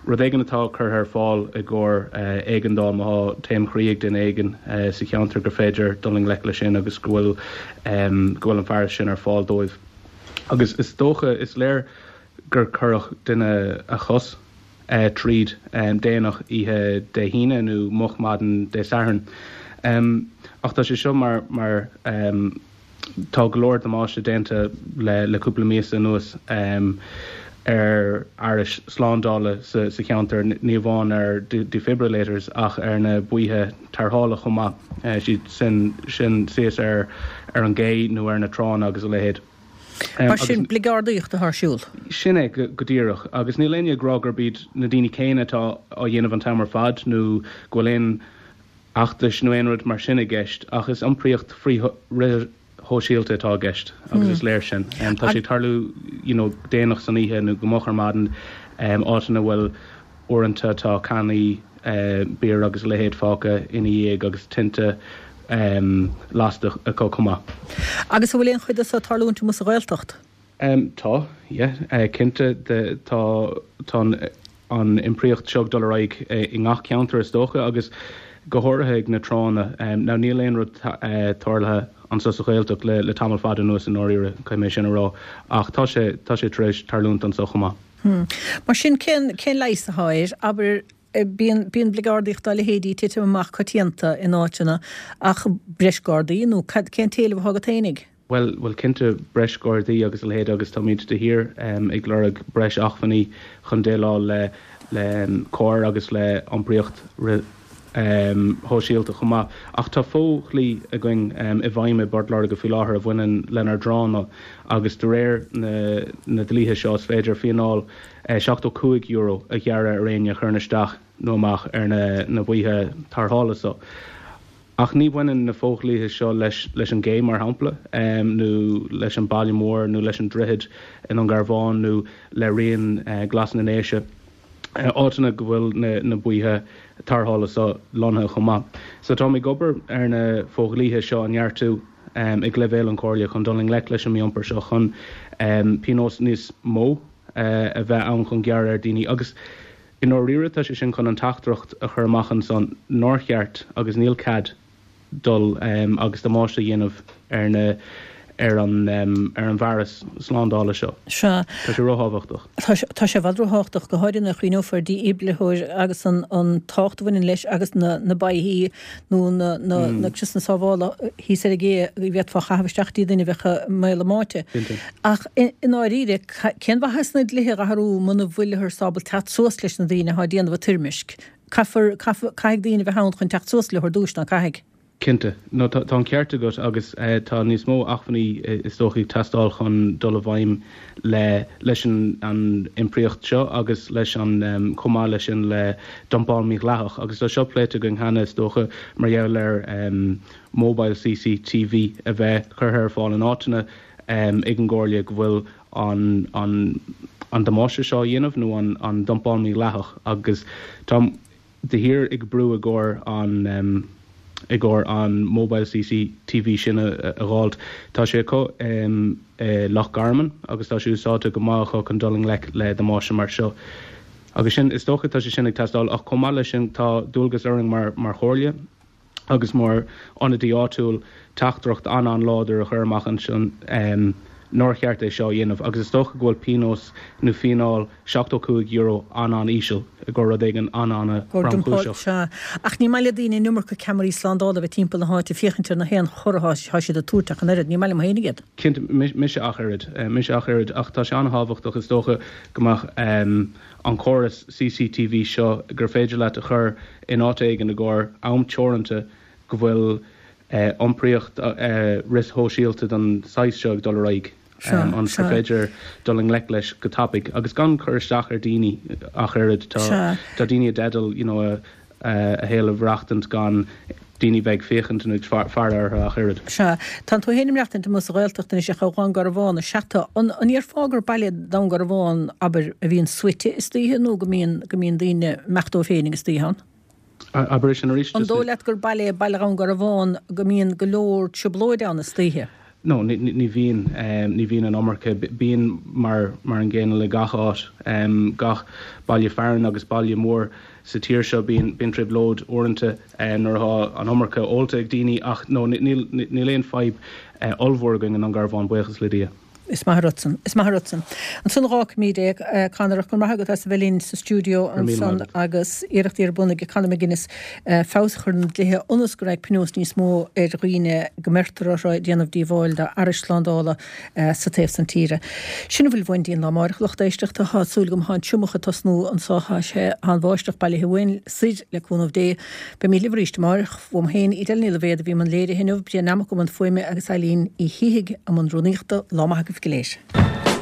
Rud éigin atá curtha ar fáil i gcomhair éigeandáil má tá taom chroí ag duine éigin sa cheantar gur féidir dul i ngleic leis sin agus go bhfuil go bhfuil an fearas sin ar fáil dóibh. Agus is dócha, is léir gur cuireadh duine a chos tríd déanach oíche Dé hAoine nó moch maidin Dé Sathairn. Ach tá sé seo mar mar. Tá go leor damáiste déanta le cúpla míosa anuas ar fhearais slándála sa cheantar, ní amháin ar defibrillators ach ar na baoithe tarrthála chomh maith, siad sin sin suas ar an gcé nó ar na tránna agus a leithéid. Mar sin, bligeardaíocht atá ar siúl. Sin é go díreach. Agus níl éinne ag rá gurb iad na daoine céanna atá á dhéanamh an t-am ar fad nó go bhfuil aon fheachtais nó aon rud mar sin i gceist ach is iompraíocht frithshóisialta atá i gceist agus is léir sin. Tá sé ag tarlú you know déanach san oíche nó go moch ar maidin, áiteanna a bhfuil uaireanta tá cannaí beer agus a leithéid fágtha ina dhiaidh agus tinte lasta acu chomh maith. Agus an bhfuil aon chuid de seo ag tarlúint amuigh sa Ghaeltacht? Tá, yeah, cinnte. Tá, tá an iompraíocht seo ag dul ar aghaidh i ngach ceantar is dócha agus go háirithe ag na tránna. Now níl aon rud tarlaithe anseo sa Ghaeltacht le le tamall fada anuas i ndáiríre, caithfidh mé sin a rá, ach tá sé, tá sé tar éis tarlúint anseo chomh maith. Mar sin, cén, cén leigheas atá air? Abair, bíonn, bíonn bligeardaíocht dá leithéidí ag titim amach coitianta in áiteanna ach breis gardaí nó cad, cén t-éileamh atá agat fhéinig? Bhuel, bhuel cinnte, breis gardaí agus a leithéid agus táimid de shíor ag lorg breis acmhainní chun déileáil le le coir agus le iompraíocht fhrithshóisialta chomh maith. Ach tá fo-dhlí againn i bhfeidhm i bPort Láirge faoi láthair a bhaineann lenár dtránna agus de réir na na dlíthe seo is féidir fíneáil €75 a ghearradh ar éinne a chuireann isteach nó amach ar na na baoithe tarrthála so. Ach ní bhaineann na fodhlíthe seo leis leis an gcé, mar shampla, nó leis an Baile Mór, nó leis an Droichead i nDún Garbhán, nó le Rian Glas na nDéise, áiteanna go bhfuil na na baoithe tarrthála seo lonnaithe chomh maith. So táim ag obair ar na fodhlíthe seo a neartú ag leibhéal an Chomhairle chun dul i ngleic leis an mí-iompar seo, chun pionós níos mó a bheith ann chun gearradh ar daoine agus I ndáiríre tá sé sin chun an teachtaireacht a chur amach ansan nár cheart agus níl cead dul agus damáiste a dhéanamh ar na ar an ar an bhfearas slándála seo. Sea. Tá sé ró-thábhachtach. Tá sé tá sé i bhfad ró-thábhachtach, go háirithe nuair a chuimhneofar ar dhífhibrileoir agus an an tábhacht a bhaineann leis agus na na baoithí nó na na na criosanna sábhála thíos ar an gcé a bhféadfá a chaitheamh isteach dtí duine a bheadh i mbaol a mbáite. Cinnte. Ach i ndáiríre, cén mhaitheas na dlíthe a athrú muna bhfuilthear ábalta teacht suas leis na daoine atá ag déanamh an toirmisc? Caithfear, caithfear, caithfidh daoine a bheith ann chun teacht suas leo ar dtúis, ná caithfidh? Cinnte. No, tá, tá an ceart agat agus tá níos mó acmhainní is dócha ag teastáil chun dul i bhfeidhm le, leis an, an iompraíocht seo agus leis an, chomh maith leis sin le dumpáil mhídhleathach agus tá seo pléite againn cheana is dócha mar gheall ar mobile CCTV a bheith curtha ar fáil in áiteanna ag an gComhairle go bhfuil an an an damáiste seo á dhéanamh nó an an dumpáil mhídhleathach agus táim de shíor ag brú i gcomhair an i gcomhair an mobile CCTV sin a a dh'fháilt. Tá sé acu i Loch Garman agus tá sé úsáidte go maith acu chun dul i ngleic le damáiste mar seo. Agus sin, is dócha tá sé sin ag teastáil ach chomh maith leis sin tá dualgas orainn mar mar Chomhairle, agus mar ionadaí áitiúil teachtaireacht an-an-láidir a chur amach ansin nár cheart é seo a dhéanamh agus is dócha go bhfuil pionós nó fíneáil €75 an-an-íseal i gcomhair rud éigin an-an-thromchúiseach. Sea, ach ní maith le daoine an iomarca ceamaraí slándála a bheith timpeall na háite ag féachaint ar na haon chor atá siad ag tabhairt ach an oiread. Ní maith liom féinig iad. Cinnte, mise ach oiread. Mise ach oiread ach tá sé an-thábhachtach is dócha go mbeadh an córas CCTV seo gur féidir leat a chur in áit éigin i gcomhair am teoranta go bhfuil iompraíocht fhrithshóisialta den saghas seo ag dul ar aghaidh ionas gur féidir dul i ngleic leis go tapaidh agus gan cur isteach ar daoine ach oiread. Tá daoine i dteideal you know a shaol a mhaireachtaint gan. daoine bheith ag féachaint nó ag faire orthu ach oiread. Sea. Tánn tú féin ag maireachtaint amuigh sa Ghaeltacht anois ach ó Dhún Garbhán is ea tú. An ndéarfá gur baile Dún Garbhán, abair, a bhíonn suaite istoíche nó go mbíonn, go mbíonn daoine ag imeacht dóibh féinig istoíche ann? Abair é sin arís. An dóigh leat gur baile é Baile Dhún Garbhán go mbíonn go leor trioblóid ann istoíche? No, ní bhíonn. Ní bhíonn an iomarca. Bíonn mar mar an gcéanna le gach áit. Gach baile fearainn agus baile mór sa tír seo bíonn bíonn trioblóid uaireanta nuair atá an iomarca ólta ag daoine ach no níl níl aon fadhb ollmhór againn i nDún Garbhán, buíochas le Dia. Is maith an rud san. Is maith an rud san. Ansan dh'fhágfaimid é, Conor, ach go raibh maith agat as a bheith linn sa stiúideo ansan agus iarrachtaí ar bun ag Conor McGuinness feabhas a chur ar na dlíthe ionas go mbeidh pionós níos mó ar dhaoine go mbeirtear orthu ag déanamh díobháil d'fhearais slándála sa taobh san tíre. Sin a bhfuil uainn dtí'n lá amáireach, lucht éisteachta. Tá súil agam tá an triomach ag tosnú anso. Tá sé, tá an bháisteach bailithe uainn soir le cúnamh Dé. Beimid libh arís amáireach. Uaim féin, Edel Ní Loibhéad a bhí i mbun léirithe inniu, Brian Nammock i mbun fuaime agus Eileen Uí Shíthigh i mbun rúnaíochta. Lá maith agaibh go léir.